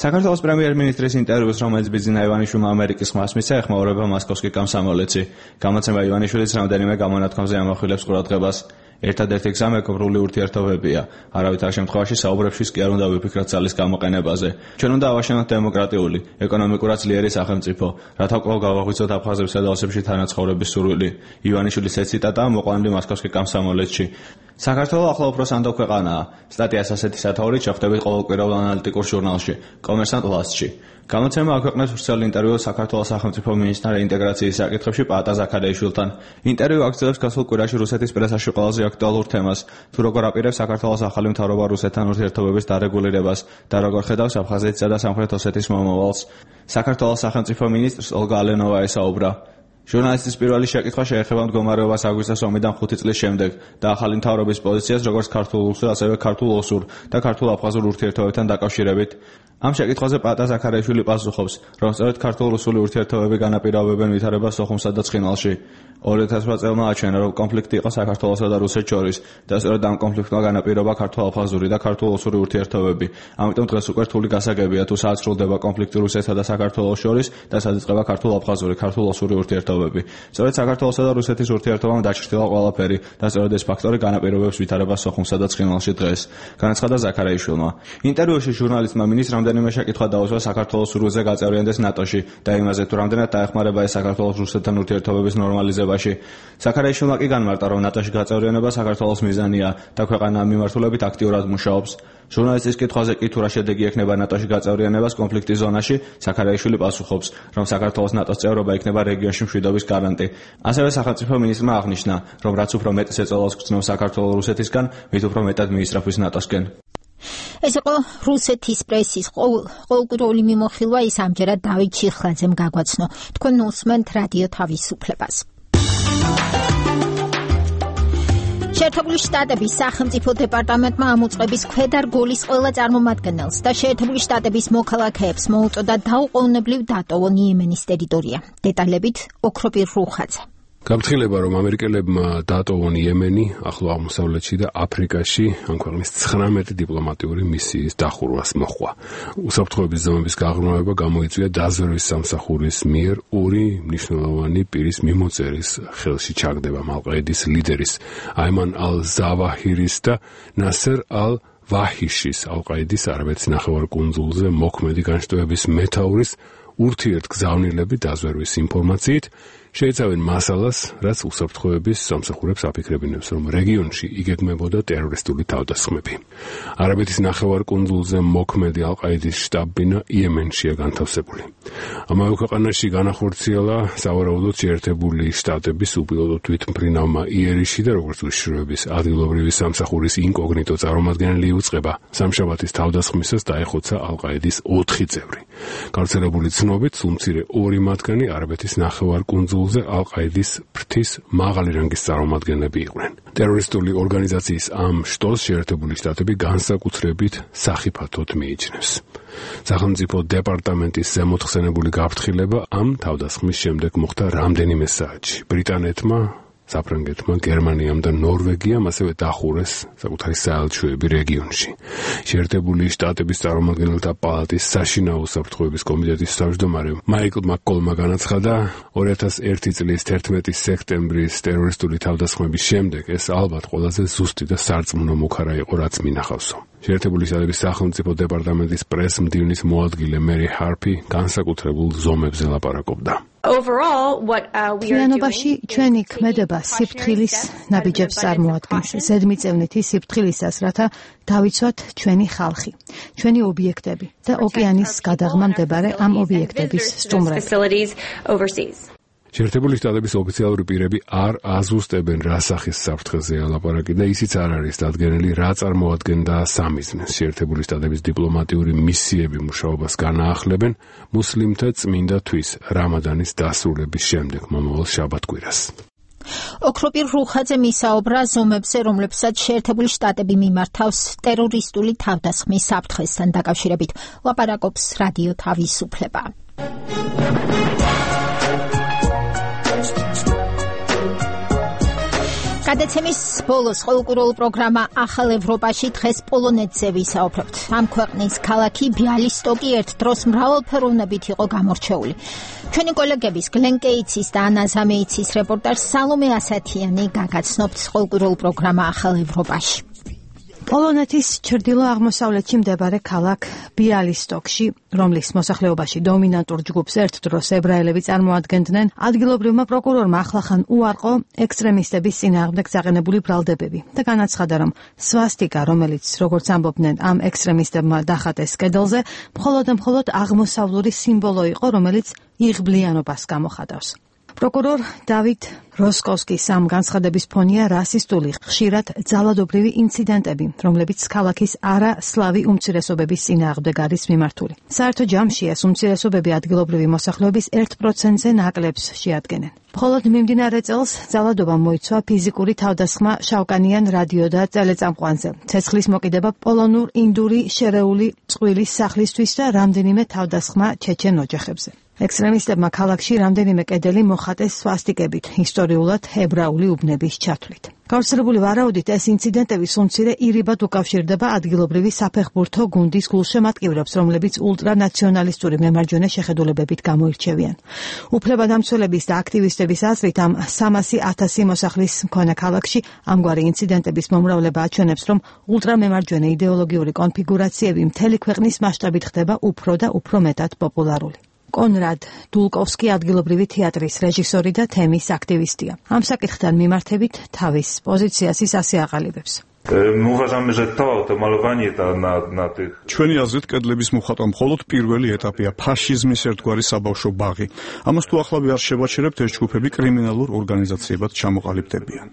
საქართველოს პრემიერ-მინისტრის ინტერვიუს, რომელიც ბიძინა ივანიშვილმა ამერიკის ხმას მისცა, ეხმაურება მოსკოვსკი კომსომოლეცი. გამოცემა ივანიშვილის რამდენიმე გამონათქვამზე ამახვილებს ყურადღებას. ერთადერთი გზა მეგობრული ურთიერთობებია. არავითარ შემთხვევაში საუბრებშიც კი არ უნდა ვიფიქროთ ძალის გამოყენებაზე. ჩვენ უნდა ავაშენოთ დემოკრატიული, ეკონომიკურად ძლიერი სახელმწიფო, რათა კვლავ გავაღვიძოთ აფხაზებსა და ოსებში თანაცხოვრების სურვილი. ივანიშვილის ეს ციტატაა მოყვანილი მოსკოვსკი კომსომოლეცში. საქართველო ახლა უფრო სანდო ქვეყანაა. სტატიას ასეთი სათაურით შეხვდებით ყოველკვირეულ ანალიტიკურ ჟურნალში, კომერსანტ ლასტში. გამოცემა აქვეყნებს ვრცელ ინტერვიუს საქართველოს სახელმწიფო მინისტრთა რეინტეგრაციის საკითხებში პაატა ზაქარიაშვილთან. ინტერვიუ აქცევს გასულ კვირაში რუსეთის პრესაში ყველაზე აქტუალურ თემას, თუ როგორ აპირებს საქართველოს ახალი მთავრობა რუსეთთან ურთიერთობების დარეგულირებას და როგორ ხედავს აფხაზეთისა და სამხრეთ ოსეთის მომავალს. საქართველოს სახელმწიფო მინისტრს ოლგა ალენოვა ესაუბრა. ჟურნალისტის პირველი შეკითხვა შეეხება მდგომარეობას აგვისტოს ომიდან 5 წლის შემდეგ და ახალი მთავრობის პოზიციას როგორც ქართულ-რუსულ, ასევე ქართულ-ოსურ და ქართულ-აფხაზურ ურთიერთობებთან დაკავშირებით. ამ შეკითხვაზე პაატა ზაქარიაშვილი პასუხობს, რომ სწორედ ქართულ-რუსული ურთიერთობები განაპირობებენ ვითარებას სოხუმსა და ცხინვალში. 2008 წელმა აჩვენა, რომ კონფლიქტი იყო საქართველოსა და რუსეთს შორის და სწორედ ამ კონფლიქტმა განაპირობა ქართულ-აფხაზური და ქართულ-ოსური ურთიერთობები. ამიტომ დღეს უკვე რთული გასაგებია, თუ სად სრულდება კონფლიქტი რუსეთსა და საქართველოს შორის და სად იწყება ქართულ-აფხაზური, ქართულ-ოსური ურთიერთობები. სწორედ საქართველოსა და რუსეთის ურთიერთობამ დაჩრდილა ყველაფერი და სწორედ ეს ფაქტორი განაპირობებს ვითარებას სოხუმსა და ცხინვალში დღეს, განაცხადა ზაქარიაშვილმა. ინტერვიუში ჟურნალისტმა მინისტრმა რამდენიმე შეკითხვა დაუსვა საქართველოს სურვილზე გაწევრიანდეს ნატოში და იმაზე, თუ რამდენად დაეხმარება ეს საქართველოს რუსეთთან ურთიერთობების ნორმალიზებაში. ზაქარიაშვილმა კი განმარტა, რომ ნატოში გაწევრიანება საქართველოს მიზანია და ქვეყანა ამ მიმართულებით აქტიურად მუშაობს. ჟურნალისტის კითხვაზე კი თუ რა შედეგი ექნება ნატოში გაწევრიანებას კონფლიქტის ზონაში, ზაქარიაშვილი პასუხობს, რომ საქართველოს ნატოს წევრობა იქნება რეგიონში მშვიდობის გარანტი. ასევე სახელმწიფო მინისტრმა აღნიშნა, რომ რაც უფრო მეტ ეწოლას გრძნობს საქართველოს რუსეთისგან, მით უფრო მეტად მიისწრაფვის ნატოსკენ. ეს იყო რუსეთის პრესის ყოველკვირეული მიმოხილვა, ის ამჯერად დავით ჩიხლაძემ გაგვაცნო. თქვენ უსმენთ რადიო თავისუფლებას. შეერთებული შტატების სახელმწიფო დეპარტამენტმა ამოწყების ქვედარგოლის ყველა წარმომადგენელს და შეერთებული შტატების მოქალაქეებს მოუწოდა დაუყოვნებლივ დატოვონ იემენის ტერიტორია. დეტალებით ოქროპირ რუხაძე. გაფრთხილება, რომ ამერიკელებმა დატოვონ იემენი, ახლო აღმოსავლეთში და აფრიკაში ამ ქვეყნის 19 დიპლომატიური მისიის დახურვას მოჰყვა. უსაფრთხოების ზომების გაღრმავება გამოიწვია დაზვერვის სამსახურის მიერ 2 მნიშვნელოვანი პირის მიმოწერის ხელში ჩაგდება ალ-ყაიდის ლიდერის აიმან ალ-ზავაჰირის და ნასერ ალ-ვაჰიშის ალ-ყაიდის არაბეთის ნახევარკუნძულზე მოქმედი განშტოების მეთაურის ურთიერთგზავნილები დაზვერვის ინფორმაციით შეიცავენ მასალას, რაც უსაფრთხოების სამსახურებს აფიქრებინებს, რომ რეგიონში იგეგმებოდა ტერორისტული თავდასხმები. არაბეთის ნახევარკუნძულზე მოქმედი ალ-ყაიდის შტაბ-ბინა იემენშია განთავსებული. ამავე ქვეყანაში განახორციელა სავარაუდოდ შეერთებული შტატების უპილოტო თვითმფრინავმა იერიში და როგორც უშიშროების ადგილობრივი სამსახურის ინკოგნიტო წარმომადგენელი იუწყება. სამშაბათის თავდასხმისას დაეხოცა ალ-ყაიდის 4 წევრი. გავრცელებული ცნობით, სულმცირე 2 მათგანი არაბეთის ნახევარკუნძულზე ალ-ყაიდის ფრთის მაღალი რანგის წარმომადგენლები იყვნენ. ტერორისტული ორგანიზაციის ამ შტოს შეერთებული შტატები განსაკუთრებით სახიფათოდ მიიჩნევს. სახელმწიფო დეპარტამენტის ზემოთხსენებული გაფრთხილება ამ თავდასხმის შემდეგ მოხდა რამდენიმე საათში. ბრიტანეთმა საფრანგეთმა, გერმანიამ და ნორვეგიამ ასევე დახურეს საკუთარი საელჩოები რეგიონში. შეერთებული შტატების წარმომადგენელთა პალატის საშინაო უსაფრთხოების კომიტეტის თავმჯდომარე მაიკლ მაკკოლმა განაცხადა, 2001 წლის 11 სექტემბრის ტერორისტული თავდასხმების შემდეგ ეს ალბათ ყველაზე ზუსტი და სარწმუნო მუქარა იყო, რაც მინახავსო. შეერთებული შტატების სახელმწიფო დეპარტამენტის პრეს-მდივნის მოადგილე მერი ჰარპი განსაკუთრებულ ზომებზე ლაპარაკობდა. ჩვენობაში ჩვენი ქმედება სიფრთხილის ნაბიჯებს წარმოადგენს, ზედმიწევნითი სიფრთხილისას, რათა დავიცვათ ჩვენი ხალხი, ჩვენი ობიექტები და ოკეანის გადაღმა მდებარე ამ ობიექტების სტუმრები. შეერთებული შტატების ოფიციალური პირები არ აზუსტებენ რა სახის საფრთხეზეა ლაპარაკი და ისიც არ არის დადგენილი რა წარმოადგენდა სამიზნეს. შეერთებული შტატების დიპლომატიური მისიები მუშაობას განაახლებენ მუსლიმთა წმინდა თვის რამადანის დასრულების შემდეგ მომავალ შაბათ-კვირას. ოქროპირ რუხაძე მისაუბრა ზომებზე, რომლებსაც შეერთებული შტატები მიმართავს ტერორისტული თავდასხმის საფრთხესთან დაკავშირებით. ლაპარაკობს რადიო თავისუფლება. გადაცემის ბოლოს ყოველკვირეულ პროგრამა ახალ ევროპაში დღეს პოლონეთზე ვისაუბრებთ. ამ ქვეყნის ქალაქი ბიალისტოკი ერთ დროს მრავალფეროვნებით იყო გამორჩეული. ჩვენი კოლეგების გლენ კეიცის და ანა ზამეიცის რეპორტაჟს სალომე ასათიანი გაგაცნობთ ყოველკვირეულ პროგრამა ახალ ევროპაში. პოლონეთის ჩრდილო-აღმოსავლეთში მდებარე ქალაქ ბიალისტოკში, რომლის მოსახლეობაში დომინანტურ ჯგუფს ერთ დროს ებრაელები წარმოადგენდნენ, ადგილობრივმა პროკურორმა ახლახან უარყო ექსტრემისტების წინააღმდეგ წაყენებული ბრალდებები და განაცხადა, რომ სვასტიკა, რომელიც, როგორც ამბობდნენ, ამ ექსტრემისტებმა დახატეს კედელზე, მხოლოდ აღმოსავლური სიმბოლო იყო, რომელიც იღბლიანობას გამოხატავს. პროკურორ დავით როსკოვსკის ამ განცხადების ფონია რასისტული, ხშირად ძალადობრივი ინციდენტები, რომლებიც ქალაქის არასლავი უმცირესობების წინააღმდეგ არის მიმართული. საერთო ჯამში ეს უმცირესობები ადგილობრივი მოსახლეობის 1%-ზე ნაკლებს შეადგენენ. მხოლოდ მიმდინარე წელს ძალადობამ მოიცვა ფიზიკური თავდასხმა შავკანიან რადიო და ტელეწამყვანზე, ცეცხლის მოკიდება პოლონურ ინდური შერეული წყვილის სახლისთვის და რამდენიმე თავდასხმა ჩეჩენ ოჯახებზე. ექსტრემისტებმა ქალაქში რამდენიმე კედელი მოხატეს სვასტიკებით, ისტორიულად ებრაული უბნების ჩათვლით. გავრცელებული ვარაუდით, ეს ინციდენტები სულმცირე ირიბად უკავშირდება ადგილობრივი საფეხბურთო გუნდის გულშემატკივრებს, რომლებიც ულტრანაციონალისტური მემარჯვენე შეხედულებებით გამოირჩევიან. უფლებადამცველების და აქტივისტების აზრით, ამ 300,000 მოსახლის მქონე ქალაქში ამგვარი ინციდენტების მომრავლება აჩვენებს, რომ ულტრამემარჯვენე იდეოლოგიური კონფიგურაციები მთელი ქვეყნის მასშტაბით ხდება უფრო და უფრო მეტად პოპულარული. კონრად დულკოვსკი ადგილობრივი თეატრის რეჟისორი და თემის აქტივისტია. ამ საკითხთან მიმართებით თავის პოზიციას ის ასე აყალიბებს. ჩვენი აზრით, კედლების მოხატვა მხოლოდ პირველი ეტაპია, ფაშიზმის ერთგვარი საბავშვო ბაღი. ამას თუ ახლავე არ შევაჩერებთ, ეს ჯგუფები კრიმინალურ ორგანიზაციებად ჩამოყალიბდებიან.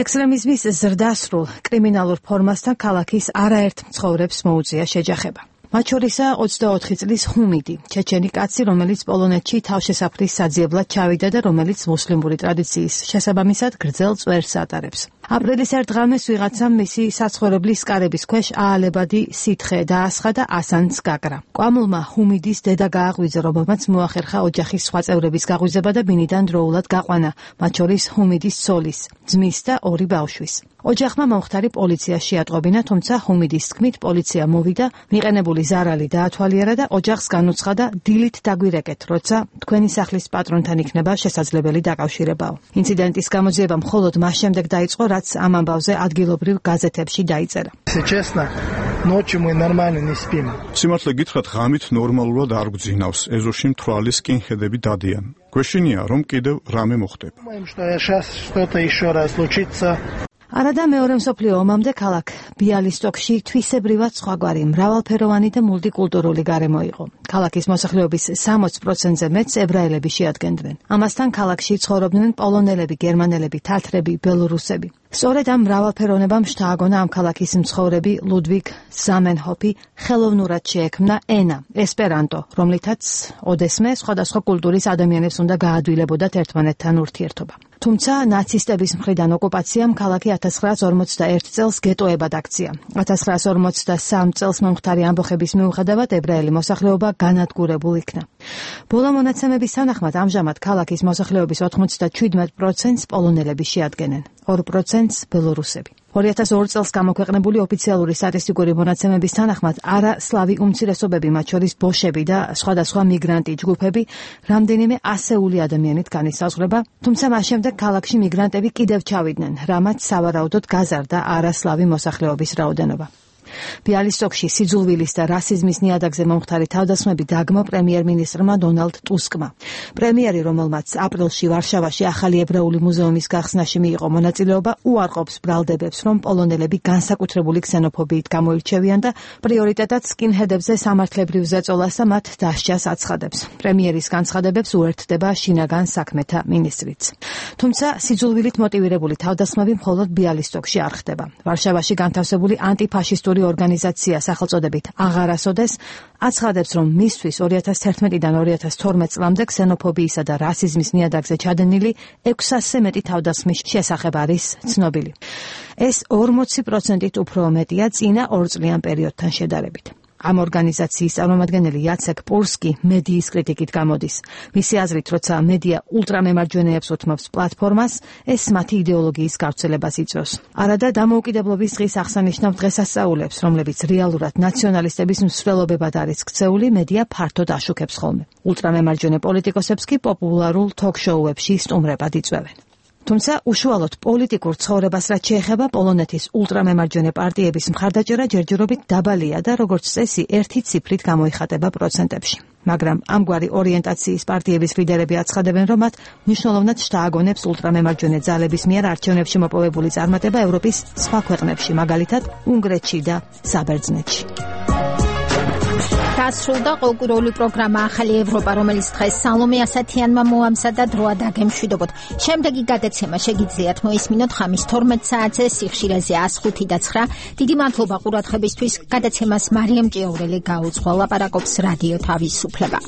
ექსტრემიზმის ზრდასრულ კრიმინალურ ფორმასთან ქალაქის არაერთ მცხოვრებს მოუწია შეჯახება. მათ შორისაა 24 წლის ჰუმიდი, ჩეჩენი კაცი, რომელიც პოლონეთში თავშესაფრის საძიებლად ჩავიდა და რომელიც მუსლიმური ტრადიციის შესაბამისად გრძელ წვერს ატარებს. აპრილის ერთ ღამეს ვიღაცამ მისი საცხოვრებლის კარების ქვეშ აალებადი სითხე დაასხა და ასანს გაკრა. კვამლმა ჰუმიდის დედა გააღვიძა, რომელმაც მოახერხა ოჯახის სხვა წევრების გაღვიძება და ბინიდან დროულად გაყვანა, მათ შორის ჰუმიდის ცოლის, ძმის და 2 ბავშვის. ოჯახმა მომხდარი პოლიციაში ატყობინა, თუმცა ჰუმიდის თქმით პოლიცია მოვიდა, მიყენებული ზარალი დაათვალიერა და ოჯახს განუცხადა დილით დაგვირეკეთ, როცა თქვენი სახლის პატრონთან იქნება შესაძლებელი დაკავშირებაო. ინციდენტის გამოძიება მხოლოდ მას შემდეგ დაიწყო, რაც ამ ამბავზე ადგილობრივ გაზეთებში დაიწერა. სიმართლე გითხრათ, ღამით ნორმალურად არ გვძინავს, ეზოში მთვრალი სკინჰედები დადიან. გვეშინია, რომ კიდევ რამე მოხდება. არადა მეორე მსოფლიო ომამდე ქალაქ ბიალისტოკში თვისებრივად სხვაგვარი, მრავალფეროვანი და მულტიკულტურული გარემო იყო. ქალაქის მოსახლეობის 60%-ზე მეტს ებრაელები შეადგენდნენ. ამასთან ქალაქში ცხოვრობდნენ პოლონელები, გერმანელები, თათრები, ბელორუსები. სწორედ ამ მრავალფეროვნებამ შთააგონა ამ ქალაქის მცხოვრები ლუდვიგ ზამენჰოფი ხელოვნურად შეექმნა ენა, ესპერანტო, რომლითაც ოდესმე სხვადასხვა კულტურის ადამიანებს უნდა გაადვილებოდათ ერთმანეთთან ურთიერთობა. თუმცა ნაცისტების მხრიდან ოკუპაციამ ქალაქი 1941 წელს გეტოებად აქცია. 1943 წელს მომხდარი ამბოხების მიუხედავად ებრაელი მოსახლეობა განადგურებულ იქნა. ბოლო მონაცემების თანახმად ამჟამად ქალაქის მოსახლეობის 97%-ს პოლონელები შეადგენენ, 2%-ს ბელორუსები. 2002 წელს გამოქვეყნებული ოფიციალური სტატისტიკური მონაცემების თანახმად არასლავი უმცირესობები, მათ შორის ბოშები და სხვადასხვა მიგრანტი ჯგუფები, რამდენიმე ასეული ადამიანით განისაზღვრება, თუმცა მას შემდეგ ქალაქში მიგრანტები კიდევ ჩავიდნენ, რამაც სავარაუდოდ გაზარდა არასლავი მოსახლეობის რაოდენობა. ბიალისტოკში სიძულვილის და რასიზმის ნიადაგზე მომხდარი თავდასხმები დაგმო პრემიერ-მინისტრმა დონალდ ტუსკმა. პრემიერი, რომელმაც აპრილში ვარშავაში ახალი ებრაული მუზეუმის გახსნაში მიიღო მონაწილეობა, უარყოფს ბრალდებებს, რომ პოლონელები განსაკუთრებული ქსენოფობიით გამოირჩევიან და პრიორიტეტად სკინჰედებზე სამართლებრივ ზეწოლას და მათ დასჯას აცხადებს. პრემიერის განცხადებებს უერთდება შინაგან საქმეთა მინისტრიც. თუმცა სიძულვილით მოტივირებული თავდასხმები მხოლოდ ბიალისტოკში არ ხდება. ვარშავაში განთავსებული ანტიფაშისტური ორგანიზაცია სახელწოდებით აღარასოდეს აცხადებს, რომ მისთვის 2011-დან 2012 წლამდე ქსენოფობიისა და რასიზმის ნიადაგზე ჩადენილი 600-ზე მეტი თავდასხმის შესახებ არის ცნობილი. ეს 40%-ით უფრო მეტია წინა 2 წლიან პერიოდთან შედარებით. ამ ორგანიზაციის წარმომადგენელი იაცეკ პურსკი მედიის კრიტიკით გამოდის. მისი აზრით, როცა მედია ულტრამემარჯვენეებს უთმობს პლატფორმას, ეს მათი იდეოლოგიის გავრცელებას იწვევს. არადა დამოუკიდებლობის დღის აღსანიშნავ დღესასწაულებს, რომლებიც რეალურად ნაციონალისტების მსვლელობებად არის ქცეული, მედია ფართოდ აშუქებს ხოლმე. ულტრამემარჯვენე პოლიტიკოსებს კი პოპულარულ თოქ-შოუებში სტუმრებად იწვევენ. თუმცა უშუალოდ პოლიტიკურ ცხოვრებას რაც შეეხება, პოლონეთის ულტრამემარჯვენე პარტიების მხარდაჭერა ჯერჯერობით დაბალია და როგორც წესი, ერთი ციფრით გამოიხატება პროცენტებში. მაგრამ ამგვარი ორიენტაციის პარტიების ლიდერები აცხადებენ, რომ მათ მნიშვნელოვნად შთააგონებს ულტრამემარჯვენე ძალების მიერ არჩევნებში მოპოვებული წარმატება ევროპის სხვა ქვეყნებში, მაგალითად უნგრეთში და საბერძნეთში. დასრულდა ყოლკურული პროგრამა ახალი ევროპა, რომელიც დღეს სალომე ასათიანმა მოამზადა დროა დაგემშვიდობოთ. შემდეგი გადაცემა შეგიძლიათ მოისმინოთ ხამის 12 საათზე სიხშირეზე 105 და 9. დიდი მადლობა ყურადღებისთვის. გადაცემას მარიამ ჭიაურელი გაუძღვა, ლაპარაკობს რადიო თავისუფლება.